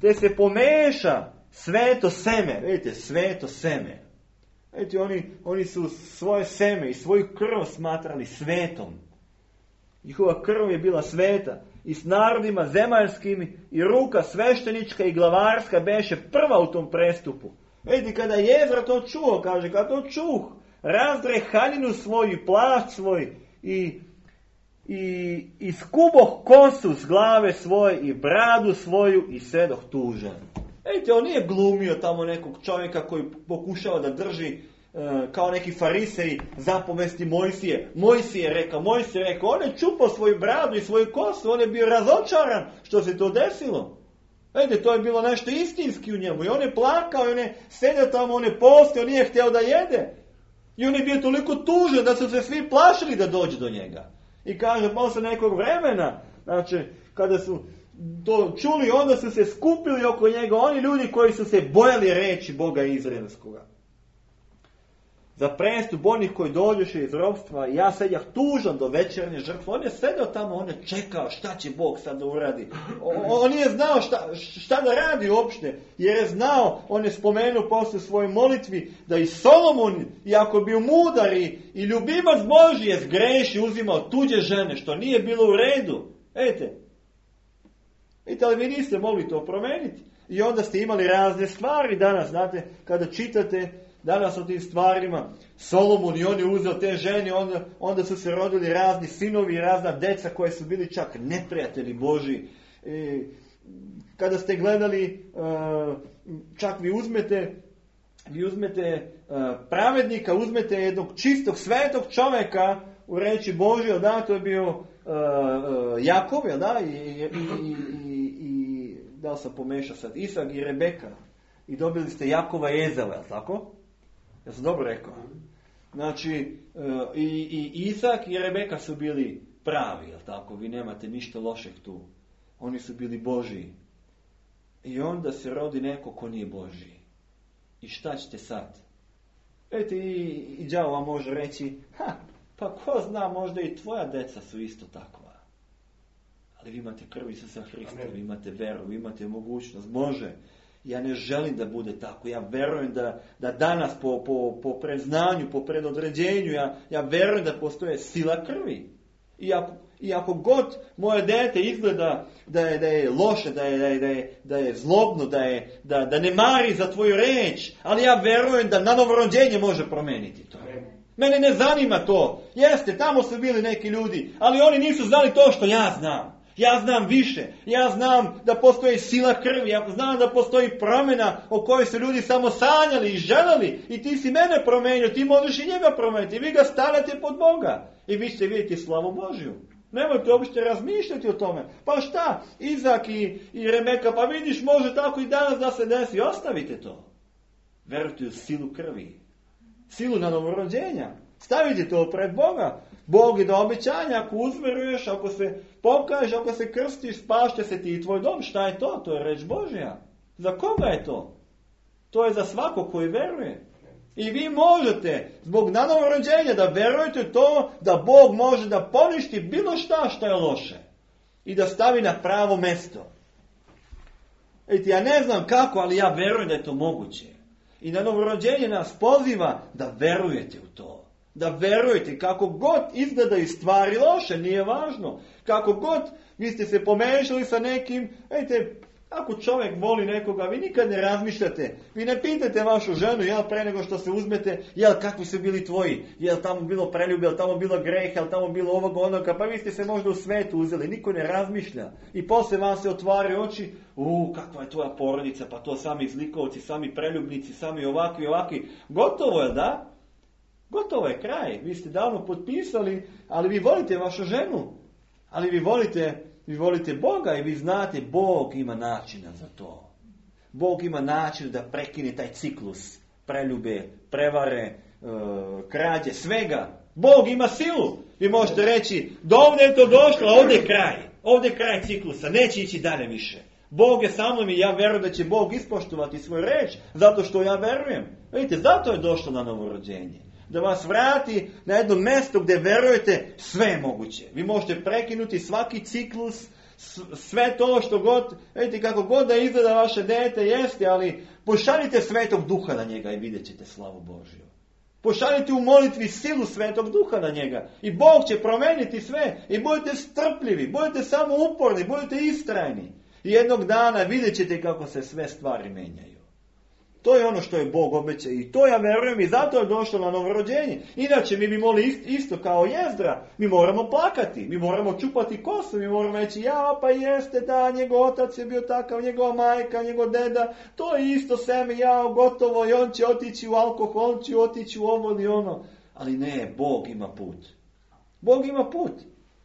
te se pomeša sveto seme. Vidite, sveto seme. Vidite, oni su svoje seme i svoju krv smatrali svetom. Njihova krv je bila sveta. I s narodima zemaljskim i ruka sveštenička i glavarska beše prva u tom prestupu. Vidite, kada je Ezra to čuo, kaže, kada to čuh, razdre haljinu svoju i plašt svoj i skuboh kosu s glave svoje i bradu svoju i sedoh tužan. Vidite, on nije glumio tamo nekog čovjeka koji pokušava da drži kao neki fariseji zapovesti Mojsije. Mojsije rekao, on je čupao svoju bradu i svoju kosu, on je bio razočaran što se to desilo. Vidite, to je bilo nešto istinski u njemu i on je plakao i on je sedio tamo, on je postio, nije htio da jede. I on je bio toliko tužan da su se svi plašili da dođe do njega. I kaže, posle nekog vremena, znači, kada su to čuli, onda su se skupili oko njega oni ljudi koji su se bojali reći Boga Izraelskoga. Za prestup onih koji dođeše iz ropstva, ja sedjah tužan do večernje žrtve. On je sedeo tamo, on je čekao šta će Bog sad da uradi. On nije znao šta da radi uopšte, jer je znao, on je spomenuo posle svojoj molitvi, da i Solomon, iako bio mudar i ljubimac Božji, je zgreši, uzimao tuđe žene, što nije bilo u redu. Vidite, ali vi niste mogli to promeniti. I onda ste imali razne stvari danas, znate, kada čitate danas o tim stvarima, Solomon i on je uzeo te žene, onda su se rodili razni sinovi i razna deca koje su bili čak neprijatelji Božji. Kada ste gledali, čak vi uzmete pravednika, uzmete jednog čistog, svetog čovjeka u reči Božje, da, to je bio Jakov, da, i da li sam pomešao sad, Isak i Rebeka. I dobili ste Jakova i Ezava, je li tako? Ja sam dobro rekao. Znači, i Isak i Rebeka su bili pravi, je li tako? Vi nemate ništa lošeg tu. Oni su bili Božji. I onda se rodi neko ko nije Božji. I šta ćete sad? Vidite, i đavo vam može reći, pa ko zna, možda i tvoja deca su isto takva. Ali vi imate krv Isusa Hrista, vi imate veru, vi imate mogućnost. Može. Ja ne želim da bude tako. Ja verujem da danas po predznanju, po predodređenju, ja verujem da postoje sila krvi. I ako god moje dete izgleda da je loše, da je zlobno, da ne mari za tvoju reč, ali ja verujem da na novorođenje može promeniti to. Mene ne zanima to. Jeste, tamo su bili neki ljudi, ali oni nisu znali to što ja znam. Ja znam više. Ja znam da postoji sila krvi. Ja znam da postoji promjena o kojoj su ljudi samo sanjali i želeli. I ti si mene promenio, ti možeš i njega promeniti. Vi ga stavljate pod Boga. I vi ćete vidjeti slavu Božju. Nemojte uopšte razmišljati o tome. Pa šta? Izak i Rebeka, pa vidiš, može tako i danas da se desi. Ostavite to. Verujte u silu krvi. Silu na novorođenja. Stavite to pred Boga. Bog je do obećanja, ako uzveruješ, ako se pokažeš, ako se krstiš, spašće se ti i tvoj dom. Šta je to? To je reč Božja. Za koga je to? To je za svakog koji veruje. I vi možete, zbog novorođenja, da verujete to da Bog može da poništi bilo šta je loše. I da stavi na pravo mesto. Ja ne znam kako, ali ja verujem da je to moguće. I na novorođenje nas poziva da verujete u to. Da verujete kako god izgledaju stvari loše, nije važno. Kako god vi ste se pomešali sa nekim, vidite, ako čovjek voli nekoga, vi nikad ne razmišljate. Vi ne pitate vašu ženu, jel pre nego što se uzmete, jel kakvi su bili tvoji, jel tamo bilo preljube, jel tamo bilo greh, jel tamo bilo ovoga onoga, pa vi ste se možda u svetu uzeli, niko ne razmišlja. I poslije vam se otvaraju oči, kakva je tvoja porodica, pa to sami zlikovci, sami preljubnici, sami ovakvi. Gotovo je, da? Gotovo je kraj. Vi ste davno potpisali, ali vi volite vašu ženu. Ali vi volite Boga i vi znate, Bog ima načina za to. Bog ima način da prekine taj ciklus preljube, prevare, krađe, svega. Bog ima silu. Vi možete reći, do ovdje je to došlo, ovdje je kraj. Ovdje je kraj ciklusa, neće ići dalje više. Bog je sa mnom i ja verujem da će Bog ispoštovati svoj reč, zato što ja verujem. Vidite, zato je došlo na novorođenje. Da vas vrati na jedno mjesto gdje verujete, sve je moguće. Vi možete prekinuti svaki ciklus, sve to što god, vidite kako god da izgleda vaše dete, jeste, ali pošaljite Svetog Duha na njega i vidjet ćete slavu Božju. Pošaljite u molitvi silu Svetog Duha na njega i Bog će promijeniti sve i budite strpljivi, budite samo uporni, budite istrajni. I jednog dana vidjet ćete kako se sve stvari menjaju. To je ono što je Bog obećao i to ja verujem i zato je došlo na novorođenje. Inače mi bi mogli isto kao Jezdra, mi moramo plakati, mi moramo čupati kosu, mi moramo reći pa jeste da, njegov otac je bio takav, njegova majka, njegov deda, to je isto seme, gotovo i on će otići u alkohol, on će otići u ovo ili ono. Ali ne, Bog ima put. Bog ima put.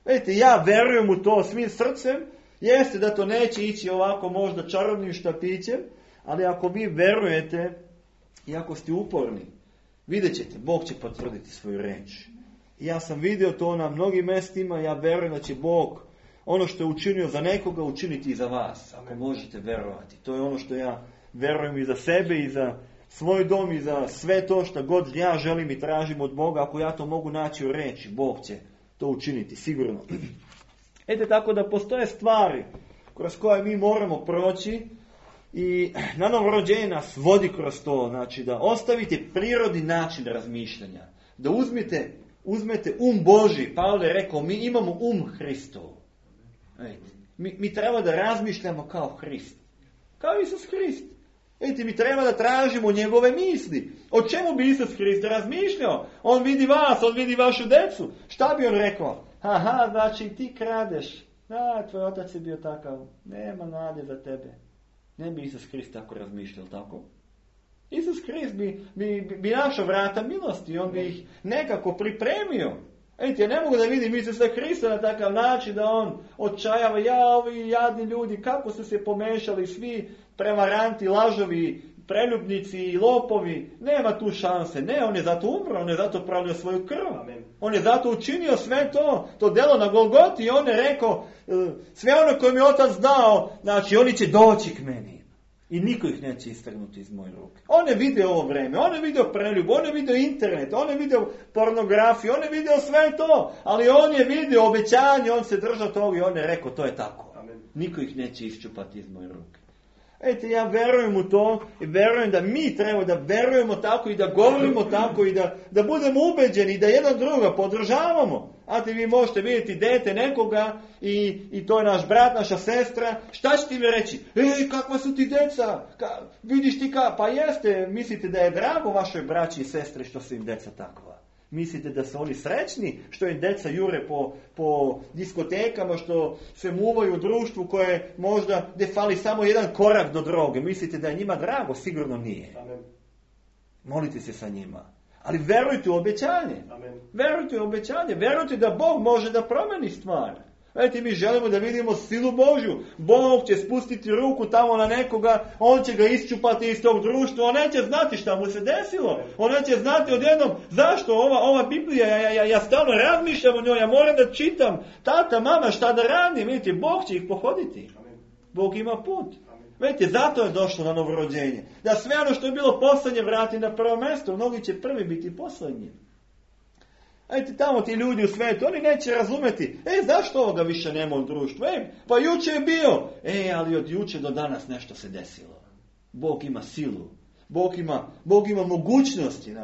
Vidite, ja verujem u to svim srcem, jeste da to neće ići ovako možda čarobnim štapićem, ali ako vi verujete i ako ste uporni, vidjet ćete, Bog će potvrditi svoju reč. I ja sam vidio to na mnogim mjestima, ja verujem da će Bog ono što je učinio za nekoga učiniti i za vas. Ako možete verovati. To je ono što ja verujem i za sebe i za svoj dom i za sve to što god ja želim i tražim od Boga. Ako ja to mogu naći u reči, Bog će to učiniti, sigurno. Tako da postoje stvari kroz koje mi moramo proći. I na novorođenje nas vodi kroz to, znači da ostavite prirodni način razmišljanja, da uzmete Božji. Pavle je rekao, mi imamo Hristov. Mi treba da razmišljamo kao Hrist, kao Isus Hrist. Mi treba da tražimo njegove misli. O čemu bi Isus Hrist razmišljao? On vidi vas, on vidi vašu decu. Šta bi on rekao? Znači ti kradeš. Tvoj otac je bio takav. Nema nade za tebe. Ne bi Isus Hrist tako razmišljao, tako? Isus Hrist bi našao vrata milosti, on bi ih nekako pripremio. Ja ne mogu da vidim Isusa Hrista na takav način da on odčajava, ovi jadni ljudi, kako su se pomešali svi prevaranti, lažovi, preljubnici i lopovi. Nema tu šanse. Ne, on je zato umro, on je zato prolio svoju krv. Amen. On je zato učinio sve to delo na Golgoti i on je rekao, sve ono koje mi je otac dao, znači oni će doći k meni. I niko ih neće istrgnuti iz moje ruke. On je vidio ovo vreme, on je vidio preljub, on je vidio internet, on je vidio pornografiju, on je vidio sve to, ali on je vidio obećanje, on se držao toga i on je rekao, to je tako. Amen. Niko ih neće iščupati iz moje ruke. Ja verujem u to i verujem da mi treba da verujemo tako i da govorimo tako i da budemo ubeđeni i da jedan druga podržavamo. Vi možete vidjeti dete nekoga i to je naš brat, naša sestra. Šta će ti mi reći? Kakva su ti deca? Vidiš ti pa jeste, mislite da je drago vašoj braći i sestri što su im deca takva? Mislite da su oni srećni što im deca jure po diskotekama, što se muvaju u društvu koje možda gdje fali samo jedan korak do droge? Mislite da je njima drago? Sigurno nije. Amen. Molite se sa njima. Ali verujte u obećanje. Amen. Verujte u obećanje. Verujte da Bog može da promeni stvar. Mi želimo da vidimo silu Božju. Bog će spustiti ruku tamo na nekoga, on će ga isčupati iz tog društva, on neće znati šta mu se desilo. On neće znati odjednom zašto ova Biblija, ja stalno razmišljam o njoj, ja moram da čitam. Tata, mama, šta da radim? Vidite, Bog će ih pohoditi. Bog ima put. Vidite, zato je došlo na novorođenje. Da sve ono što je bilo poslednje vrati na prvo mjesto, mnogi će prvi biti poslednji. Tamo ti ljudi u svijetu, oni neće razumeti, zašto ovoga više nema u društvu? Pa juče je bio. Ali od juče do danas nešto se desilo. Bog ima silu. Bog ima mogućnosti.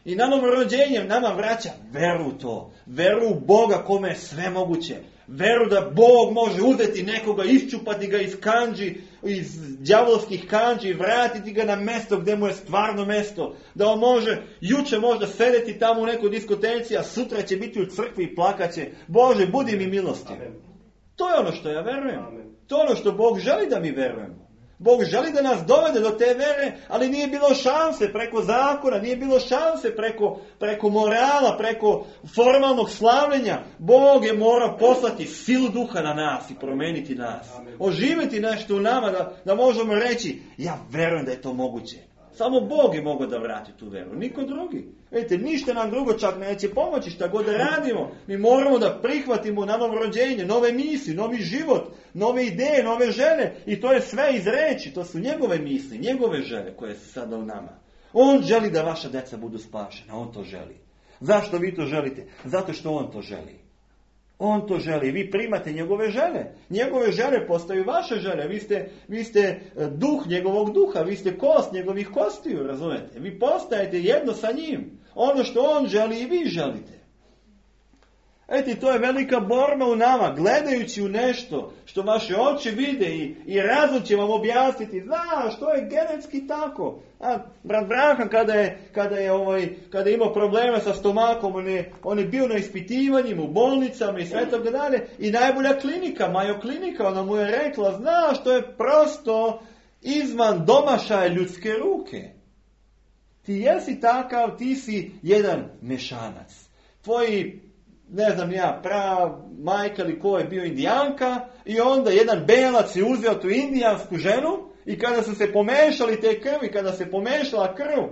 I na novo rođenje nama vraća veru u to. Veru u Boga kome je sve moguće. Veru da Bog može uzeti nekoga, iščupati ga iz kanđi, iz đavolskih kanđi i vratiti ga na mjesto gdje mu je stvarno mjesto. Da on može juče možda sedeti tamo u nekoj diskoteci, a sutra će biti u crkvi i plakaće. Bože, budi mi milostiv. To je ono što ja verujem. To je ono što Bog želi da mi verujemo. Bog želi da nas dovede do te vere, ali nije bilo šanse preko zakona, nije bilo šanse preko morala, preko formalnog slavljenja. Bog je morao poslati silu duha na nas i promijeniti nas. Oživjeti nešto u nama da možemo reći, ja verujem da je to moguće. Samo Bog je mogao da vrati tu veru, niko drugi. Vidite, ništa nam drugo čak neće pomoći, šta god da radimo. Mi moramo da prihvatimo na novo rođenje, nove misli, novi život, nove ideje, nove želje. I to je sve iz reči, to su njegove misli, njegove želje koje su sada u nama. On želi da vaša deca budu spašena, on to želi. Zašto vi to želite? Zato što on to želi. On to želi. Vi primate njegove želje. Njegove želje postaju vaše želje. Vi ste duh njegovog duha. Vi ste kost njegovih kostiju, razumete? Vi postajete jedno sa njim. Ono što on želi i vi želite. Eto, to je velika borba u nama. Gledajući u nešto što vaše oči vide i razum će vam objasniti. Znaš, to je genetski tako. Brat Branhan kada je imao probleme sa stomakom, on je bio na ispitivanjima, u bolnicama i sve toga dalje. I najbolja klinika, Mayo klinika, ona mu je rekla, znaš, to je prosto izvan domašaja ljudske ruke. Ti jesi takav, ti si jedan mešanac. Tvoji, ne znam ja, majka ili ko je bio indijanka i onda jedan belac je uzeo tu indijansku ženu i kada su se pomešali te krvi, kada se pomešala krv,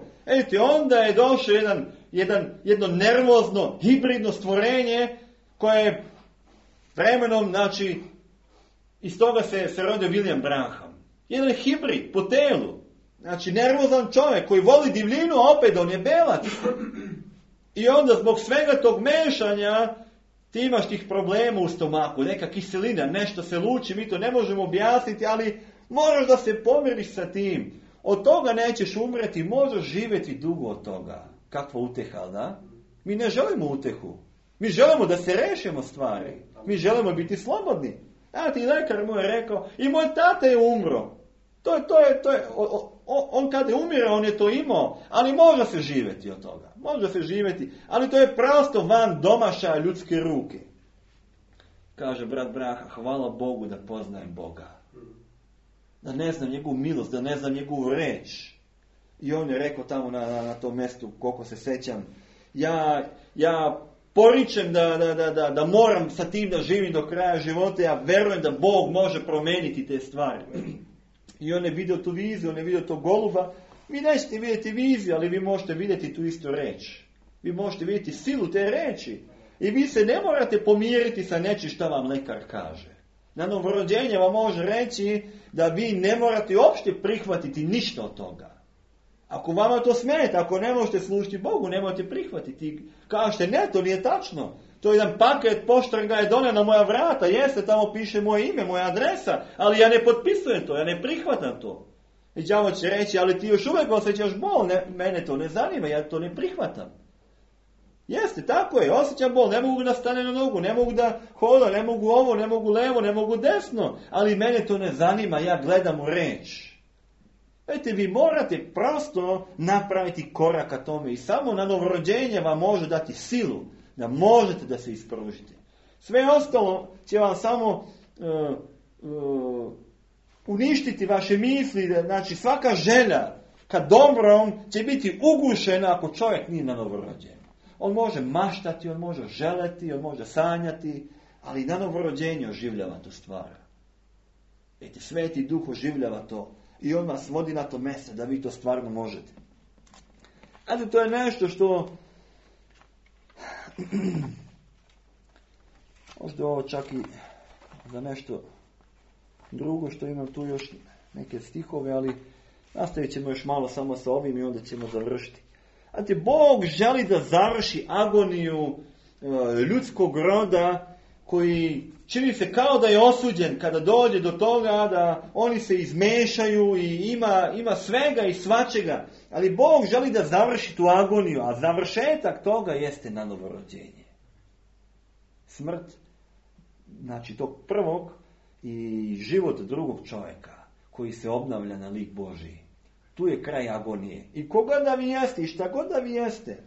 onda je došao jedno nervozno, hibridno stvorenje koje je vremenom, znači, iz toga se rodio William Branham. Jedan hibrid po telu. Znači, nervozan čovjek koji voli divljinu, opet on je belac. I onda zbog svega tog mešanja ti imaš tih problema u stomaku, neka kiselina, nešto se luči, mi to ne možemo objasniti, ali moraš da se pomiriš sa tim. Od toga nećeš umreti, možeš živjeti dugo od toga. Kakva uteha, da? Mi ne želimo utehu. Mi želimo da se rešimo stvari. Mi želimo biti slobodni. Ti lekar mu je rekao, i moj tata je umro. To je, on kada je umire, on je to imao, ali može se živjeti od toga. Može se živjeti, ali to je prosto van domašaja ljudske ruke. Kaže brat Braha, hvala Bogu da poznajem Boga. Da ne znam njegovu milost, da ne znam njegovu reč. I on je rekao tamo na tom mjestu, koliko se sećam, ja poričem da moram sa tim da živim do kraja života, ja verujem da Bog može promijeniti te stvari. I on je vidio tu viziju, on je vidio tog goluba. Vi nećete vidjeti viziju, ali vi možete vidjeti tu istu reč. Vi možete vidjeti silu te reči. I vi se ne morate pomiriti sa nečim što vam lekar kaže. Na novorođenje vam može reći da vi ne morate uopšte prihvatiti ništa od toga. Ako vama to smeta, ako ne možete služiti Bogu, ne možete prihvatiti. Kažete, ne, to nije tačno. To je jedan paket, poštar ga je donio na moja vrata, jeste, tamo piše moje ime, moja adresa, ali ja ne potpisujem to, ja ne prihvatam to. I đavo će reći, ali ti još uvijek osjećaš bol, mene to ne zanima, ja to ne prihvatam. Jeste, tako je, osjećam bol, ne mogu da stane na nogu, ne mogu da hoda, ne mogu ovo, ne mogu levo, ne mogu desno, ali mene to ne zanima, ja gledam u reč. Vidite, vi morate prosto napraviti korak ka tome i samo na novorođenje vam može dati silu da možete da se ispružite. Sve ostalo će vam samo uništiti vaše misli, znači svaka želja ka dobrom će biti ugušena ako čovjek nije na novorođenju. On može maštati, on može želeti, on može sanjati, ali na novorođenju oživljava tu stvar. Vidite, Sveti Duh oživljava to i on vas vodi na to mjesto da vi to stvarno možete. Ali to je nešto što možda ovo čak i za nešto drugo što imam tu još neke stihove, ali nastavit ćemo još malo samo sa ovim i onda ćemo završiti. Bog želi da završi agoniju ljudskog roda koji čini se kao da je osuđen kada dođe do toga da oni se izmešaju i ima svega i svačega. Ali Bog želi da završi tu agoniju, a završetak toga jeste na novorođenje. Smrt, znači tog prvog i život drugog čovjeka koji se obnavlja na lik Božiji. Tu je kraj agonije. I koga da vi jeste i šta god da vi jeste.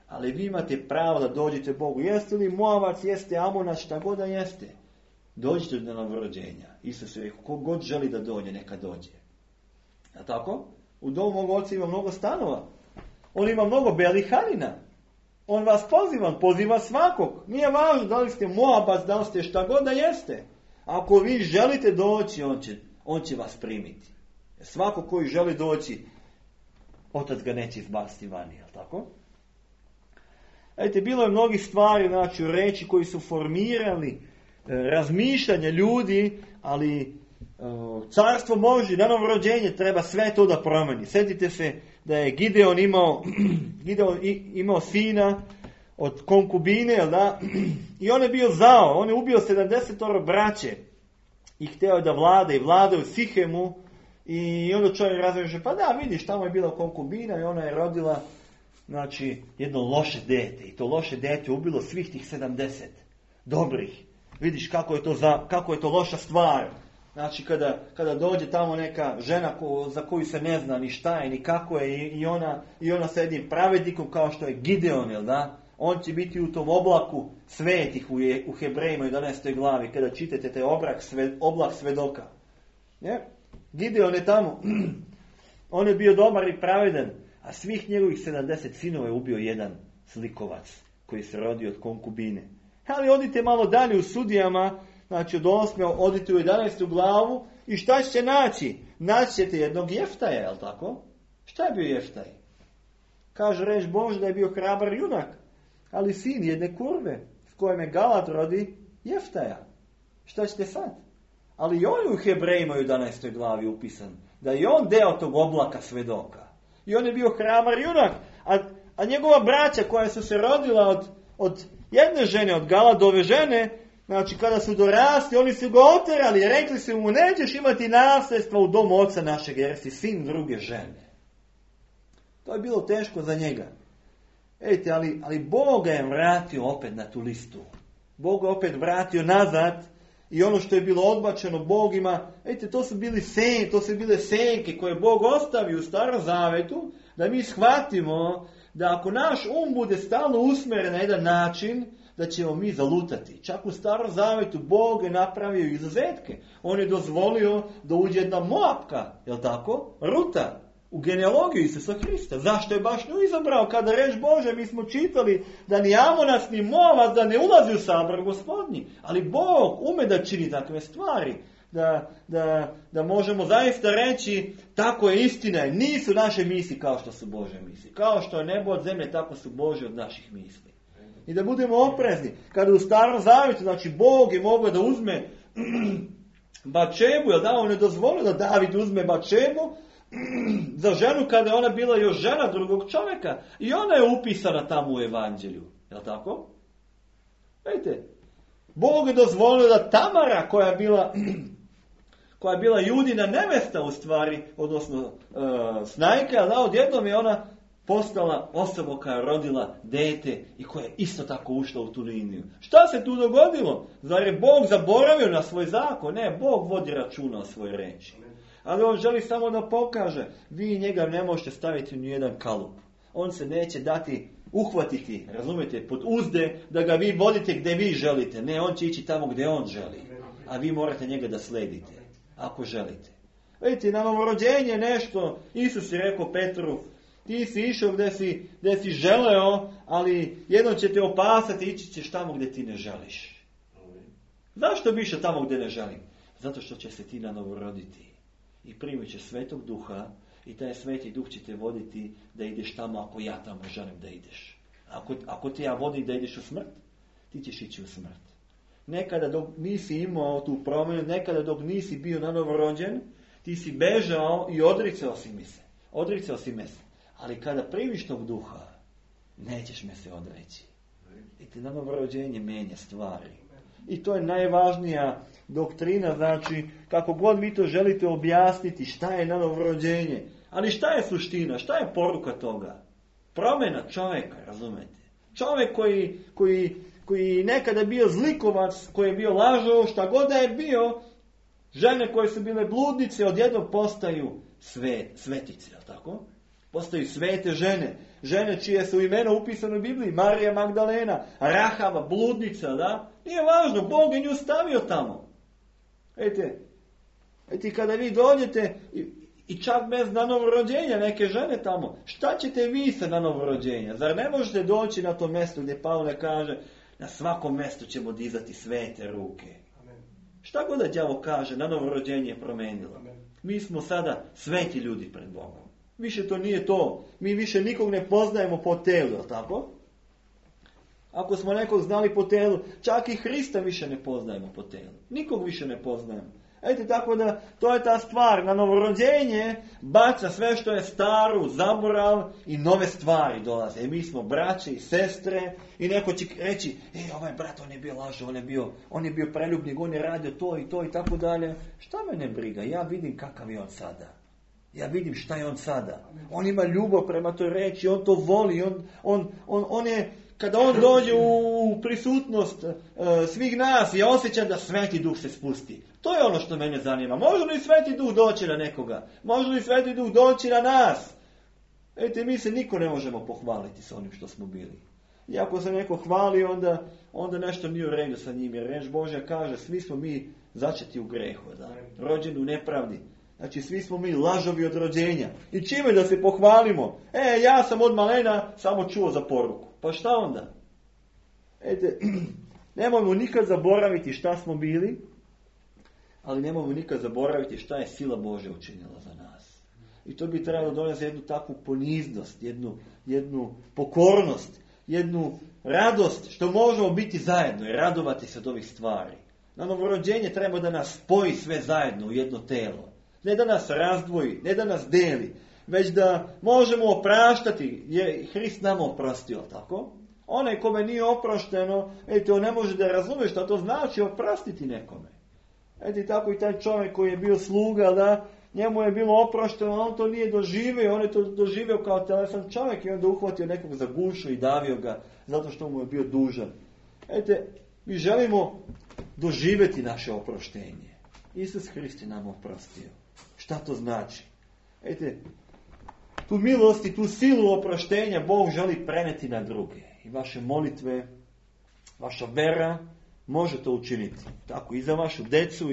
Ali vi imate pravo da dođete Bogu. Jeste li Moavac, jeste Amonac, šta god da jeste. Dođite do novorođenja. Isus je rekao, ko god želi da dođe, neka dođe. A tako? U domu mog oca ima mnogo stanova. On ima mnogo belih halina. On vas poziva, on poziva svakog. Nije važno da li ste Moabac, da li ste šta god da jeste. Ako vi želite doći, on će vas primiti. Svako koji želi doći, Otac ga neće izbaciti vani, jel tako? Vidite, bilo je mnogih stvari, znači u reči koji su formirali razmišljanje ljudi, ali carstvo Božje, na novorođenje treba sve to da promeni. Sjetite se da je Gideon imao sina od konkubine, jel da? I on je bio zao, on je ubio 70 braće i hteo da vlada u Sihemu. I onda čovjek razmišlja, pa da, vidiš, tamo je bila konkubina i ona je rodila, znači, jedno loše dete. I to loše dete ubilo svih tih 70 dobrih. Vidiš kako je to loša stvar. Znači, kada dođe tamo neka žena za koju se ne zna ni šta je, ni kako je, i ona sa jednim pravednikom kao što je Gideon, jel da? On će biti u tom oblaku svetih u Hebrejima 11. glavi, kada čitate taj oblak svedoka. Ne? Gideon je tamo, on je bio dobar i pravedan, a svih njegovih 70 sinova je ubio jedan slikovac koji se rodio od konkubine. Ali odite malo dalje u Sudijama, znači od 8. odite u 11. glavu i šta ćete naći? Naći ćete jednog Jeftaja, je li tako? Šta je bio Jeftaj? Kaže reč Bože da je bio hrabar junak, ali sin jedne kurve s kojom je Galat rodi Jeftaja. Šta ćete sad? Ali i on je u Hebrejima 11. glavi upisan. Da je on deo tog oblaka svedoka. I on je bio hrabar junak. A njegova braća koja su se rodila od jedne žene, od Galadove žene, znači kada su dorasli, oni su ga oterali i rekli su mu, nećeš imati nasljedstva u domu oca našeg, jer si sin druge žene. To je bilo teško za njega. Vidite, ali Bog ga je vratio opet na tu listu. Bog ga opet vratio nazad. I ono što je bilo odbačeno Bog ima, vidite, to su bile senke koje Bog ostavio u Starom Zavetu, da mi shvatimo da ako naš bude stalno usmjeren na jedan način, da ćemo mi zalutati. Čak u Starom Zavetu Bog je napravio izuzetke. On je dozvolio da uđe jedna Moapka, jel tako? Ruta, u genealogiju Isusa Hrista. Zašto je baš nju izabrao? Kada reč Bože, mi smo čitali da ni Amonac ni Moavac da ne ulazi u sabor Gospodnji. Ali Bog ume da čini takve stvari. Da možemo zaista reći, tako je istina. Nisu naše misli kao što su Bože misli. Kao što je nebo od zemlje, tako su Bože od naših misli. I da budemo oprezni. Kada u Starom Zavjetu, znači Bog je mogao da uzme Bačebu, jel da? On je dozvolio da David uzme Bačebu za ženu kada je ona bila još žena drugog čovjeka. I ona je upisana tamo u evanđelju. Jel' tako? Vidite, Bog je dozvolio da Tamara koja je bila Judina nevesta u stvari, odnosno snajka, da odjednom je ona postala osoba koja je rodila dete i koja je isto tako ušla u tu liniju. Šta se tu dogodilo? Zar je Bog zaboravio na svoj zakon? Ne, Bog vodi računa o svojoj reči. Ali on želi samo da pokaže, vi njega ne možete staviti u nijedan kalup. On se neće dati uhvatiti, razumijete, pod uzde da ga vi vodite gdje vi želite. Ne, on će ići tamo gdje on želi. A vi morate njega da sledite, ako želite. Vidite, na novorođenje nešto, Isus je rekao Petru, ti si išao gdje si želeo, ali jednom će te opasati, ići ćeš tamo gdje ti ne želiš. Zašto bi išao tamo gdje ne želim? Zato što će se ti na novo roditi. I primit će Svetog Duha i taj Sveti Duh će te voditi da ideš tamo ako ja tamo želim da ideš. Ako te ja vodim da ideš u smrt, ti ćeš ići u smrt. Nekada dok nisi imao tu promjenu, nekada dok nisi bio na novorođen, ti si bežao i odricao si me se. Ali kada primiš tog Duha, nećeš me se odreći. I te na novorođenje menja stvari. I to je najvažnija doktrina, znači kako god vi to želite objasniti šta je novorođenje. Ali šta je suština, šta je poruka toga? Promjena čovjeka, razumete? Čovjek koji nekada bio zlikovac, koji je bio lažov, šta god da je bio, žene koje su bile bludnice odjednom postaju svetice, jel tako? Postaju svete žene. Žene čije su imena upisane u Bibliji. Marija Magdalena, Rahava, bludnica, da? Nije važno, Bog je nju stavio tamo. Vidite, kada vi dođete i čak bez novorođenja neke žene tamo, šta ćete vi sa na novorođenja? Zar ne možete doći na to mjesto gdje Pavle kaže na svakom mjestu ćemo dizati svete ruke? Amen. Šta god da đavo kaže, na novorođenje je promenilo. Amen. Mi smo sada sveti ljudi pred Bogom. Više to nije to. Mi više nikog ne poznajemo po telu, tako? Ako smo nekog znali po telu, čak i Hrista više ne poznajemo po telu. Nikog više ne poznajemo. Tako da, to je ta stvar. Na novorođenje baca sve što je staro, zaborav i nove stvari dolaze. I mi smo braće i sestre i neko će reći, ovaj brat, on je bio lažov, on je bio preljubnik, on je radio to i to i tako dalje. Šta me ne briga? Ja vidim kakav je on sada. Ja vidim šta je on sada. On ima ljubav prema toj reči, on to voli, on je, kada on dođe u prisutnost svih nas, je osjećan da Sveti Duh se spusti. To je ono što mene zanima. Može li Sveti Duh doći na nekoga? Može li Sveti Duh doći na nas? Mi se niko ne možemo pohvaliti sa onim što smo bili. I ako se neko hvali, onda nešto nije u redu sa njim. Jer reč Božja kaže, svi smo mi začeti u grehu, da? Rođeni u nepravdi. Znači, svi smo mi lažovi od rođenja. I čime da se pohvalimo? Ja sam od malena samo čuo za poruku. Pa šta onda? Nemojmo nikad zaboraviti šta smo bili, ali nemojmo nikad zaboraviti šta je sila Božja učinila za nas. I to bi trebalo donesti jednu takvu poniznost, jednu pokornost, jednu radost što možemo biti zajedno i radovati se od ovih stvari. Na novorođenje treba da nas spoji sve zajedno u jedno telo. Ne da nas razdvoji, ne da nas deli, već da možemo opraštati, jer Hrist nama oprostio, tako? Onaj kome nije oprošteno, on ne može da razume šta to znači oprostiti nekome. Tako i taj čovjek koji je bio sluga, da, njemu je bilo oprošteno, on to nije doživio, on je to doživio kao telesan čovjek i onda uhvatio nekog za gušu i davio ga, zato što mu je bio dužan. Mi želimo doživjeti naše oproštenje. Isus Hrist je nam oprostio. Šta to znači? Tu milost i tu silu oproštenja Bog želi preneti na druge. I vaše molitve, vaša vera može to učiniti. Tako i za vašu decu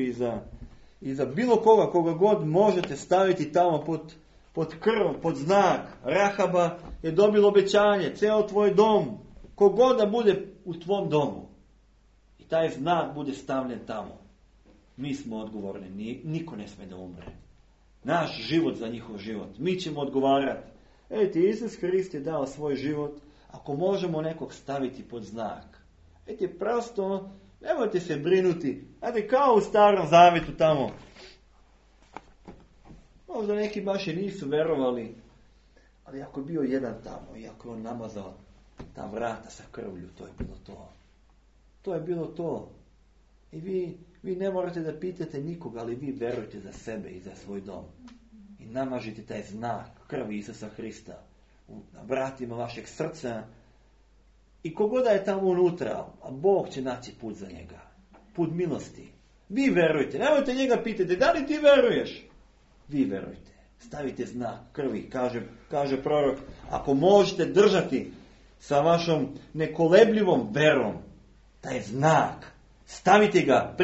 i za bilo koga god možete staviti tamo pod krv, pod znak. Rahaba je dobilo obećanje, ceo tvoj dom, kogod da bude u tvom domu. I taj znak bude stavljen tamo. Mi smo odgovorni, niko ne sme da umre. Naš život za njihov život. Mi ćemo odgovarati. Isus Hrist je dao svoj život. Ako možemo nekog staviti pod znak. Prosto, nemojte se brinuti. Kao u Starom Zavetu tamo. Možda neki baš i nisu verovali. Ali ako je bio jedan tamo i ako je on namazao ta vrata sa krvlju, to je bilo to. To je bilo to. I vi ne morate da pitate nikoga, ali vi verujte za sebe i za svoj dom. I namažite taj znak krvi Isusa Hrista na vratima vašeg srca. I kogoda je tamo unutra, a Bog će naći put za njega. Put milosti. Vi verujte. Nemojte njega pitati, da li ti veruješ? Vi verujte. Stavite znak krvi. Kaže prorok, ako možete držati sa vašom nekolebljivom verom taj znak, stavite ga,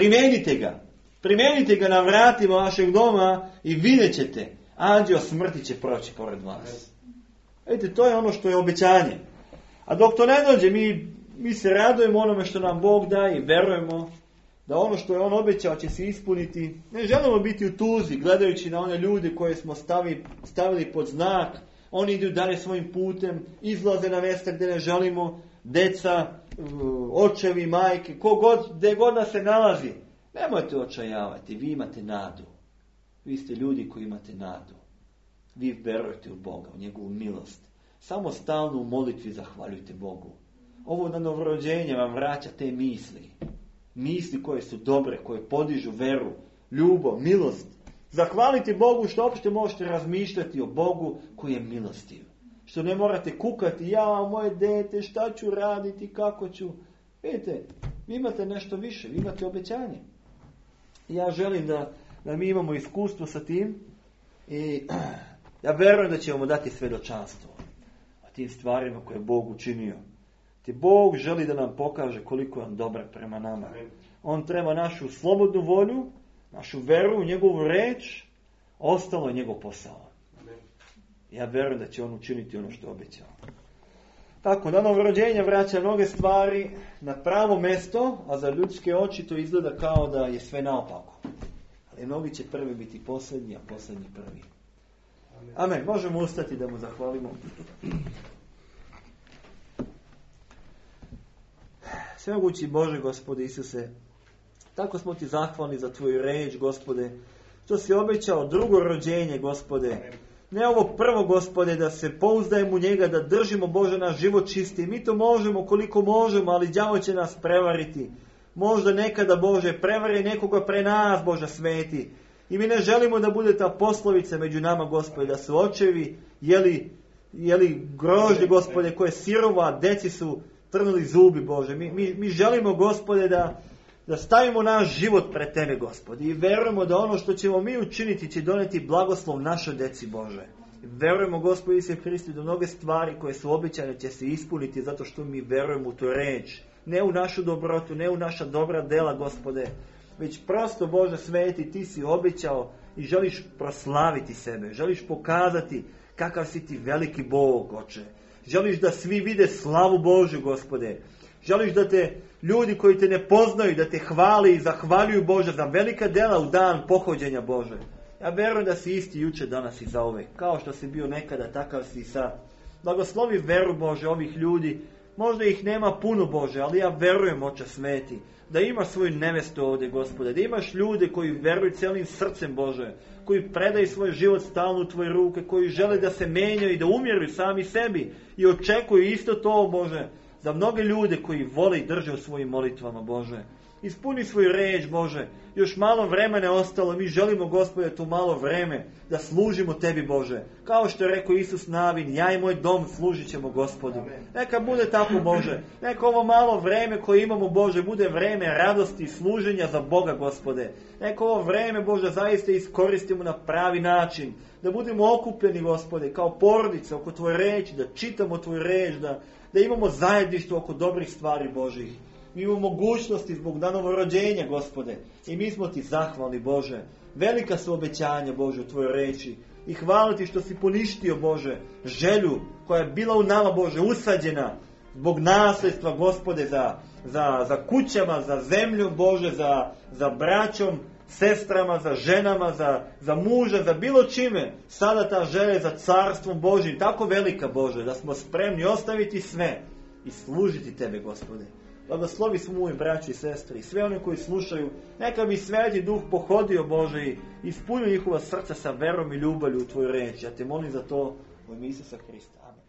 primenite ga na vratima vašeg doma i vidjet ćete, anđeo smrti će proći pored vas. To je ono što je obećanje. A dok to ne dođe, mi se radujemo onome što nam Bog daje i verujemo da ono što je on obećao će se ispuniti. Ne želimo biti u tuzi gledajući na one ljude koje smo stavili pod znak. Oni idu dalje svojim putem, izlaze na mjesta gdje ne želimo, deca, očevi, majke, gdje god da se nalazi. Nemojte očajavati, vi imate nadu. Vi ste ljudi koji imate nadu. Vi verujete u Boga, u njegovu milost. Samo stalno u molitvi zahvaljujte Bogu. Ovo na novorođenje vam vraća te misli. misli koje su dobre, koje podižu veru, ljubav, milost. Zahvaliti Bogu što uopšte možete razmišljati o Bogu koji je milostiv. Što ne morate kukati, ja, moje dete, šta ću raditi, kako ću. Vidite, vi imate nešto više, vi imate obećanje. Ja želim da mi imamo iskustvo sa tim i ja verujem da ćemo mu dati svjedočanstvo o tim stvarima koje je Bog učinio. Ti Bog želi da nam pokaže koliko je on dobar prema nama. On treba našu slobodnu volju, našu veru u njegovu reč, ostalo je njegov posao. Ja verujem da će on učiniti ono što je obećao. Tako, da novorođenje vraća mnoge stvari na pravo mjesto, a za ljudske oči to izgleda kao da je sve naopako. Ali mnogi će prvi biti posljednji, a posljednji prvi. Amen. Možemo ustati da mu zahvalimo. Svemogući Bože, Gospode Isuse, tako smo ti zahvalni za tvoju reč, Gospode, što si obećao drugo rođenje, Gospode. Ne ovo prvo, Gospode, da se pouzdajemo u njega, da držimo, Bože, naš život čisti. Mi to možemo koliko možemo, ali đavo će nas prevariti. Možda nekada, Bože, prevari nekoga pre nas, Bože, sveti. I mi ne želimo da bude ta poslovica među nama, Gospode, da su očevi jeli grožđe, Gospode, koje sirova, deci su trnuli zubi, Bože. Mi želimo, Gospode, da stavimo naš život pred tebe, Gospode. I verujemo da ono što ćemo mi učiniti će doneti blagoslov našoj deci, Bože. I verujemo, Gospode Isuse Hristu, da mnoge stvari koje su obećane će se ispuniti zato što mi verujemo u tu reč. Ne u našu dobrotu, ne u naša dobra dela, Gospode. Već prosto, Bože sveti, ti si obećao i želiš proslaviti sebe. Želiš pokazati kakav si ti veliki Bog, Oče. Želiš da svi vide slavu Božju, Gospode. Želiš da te ljudi koji te ne poznaju, da te hvali i zahvaljuju, Bože, za velika dela u dan pohođenja, Bože. Ja verujem da si isti juče, danas i zauvek. Kao što si bio nekada, takav si i sad. Blagoslovi veru, Bože, ovih ljudi. Možda ih nema puno, Bože, ali ja verujem, Oče sveti, da imaš svoju nevestu ovdje, Gospode. Da imaš ljude koji veruju celim srcem, Bože. Koji predaju svoj život stalno u tvoje ruke. Koji žele da se menjaju i da umjeruju sami sebi. I očekuju isto to, Bože, za mnoge ljude koji vole i drže u svojim molitvama, Bože. Ispuni svoju reč, Bože. Još malo vremena je ostalo. Mi želimo, Gospode, to malo vreme da služimo tebi, Bože. Kao što je rekao Isus Navin, ja i moj dom služit ćemo Gospodu. Neka bude tako, Bože. Neka ovo malo vreme koje imamo, Bože, bude vreme radosti i služenja za Boga, Gospode. Neka ovo vreme, Bože, zaista iskoristimo na pravi način. Da budemo okupljeni, Gospode, kao porodica oko tvoje reči, da čitamo tvoju reč, da imamo zajedništvo oko dobrih stvari Božih. Mi imamo mogućnosti zbog novorođenja, Gospode. I mi smo ti zahvalni, Bože. Velika su obećanja, Bože, u tvojoj reči. I hvala ti što si poništio, Bože, želju koja je bila u nama, Bože, usađena zbog nasljedstva, Gospode, za kućama, za zemljom, Bože, za braćom, sestrama, za ženama, za muža, za bilo čime. Sada ta želja za carstvom Božim tako velika, Bože, da smo spremni ostaviti sve i služiti tebe, Gospode. Blagoslovi smo moji braći i sestri i sve one koji slušaju. Neka bi Sveti Duh pohodio, Bože, i ispunio njihova srca sa verom i ljubavlju u tvoju reč. Ja te molim za to u ime Isusa Hrista. Amen.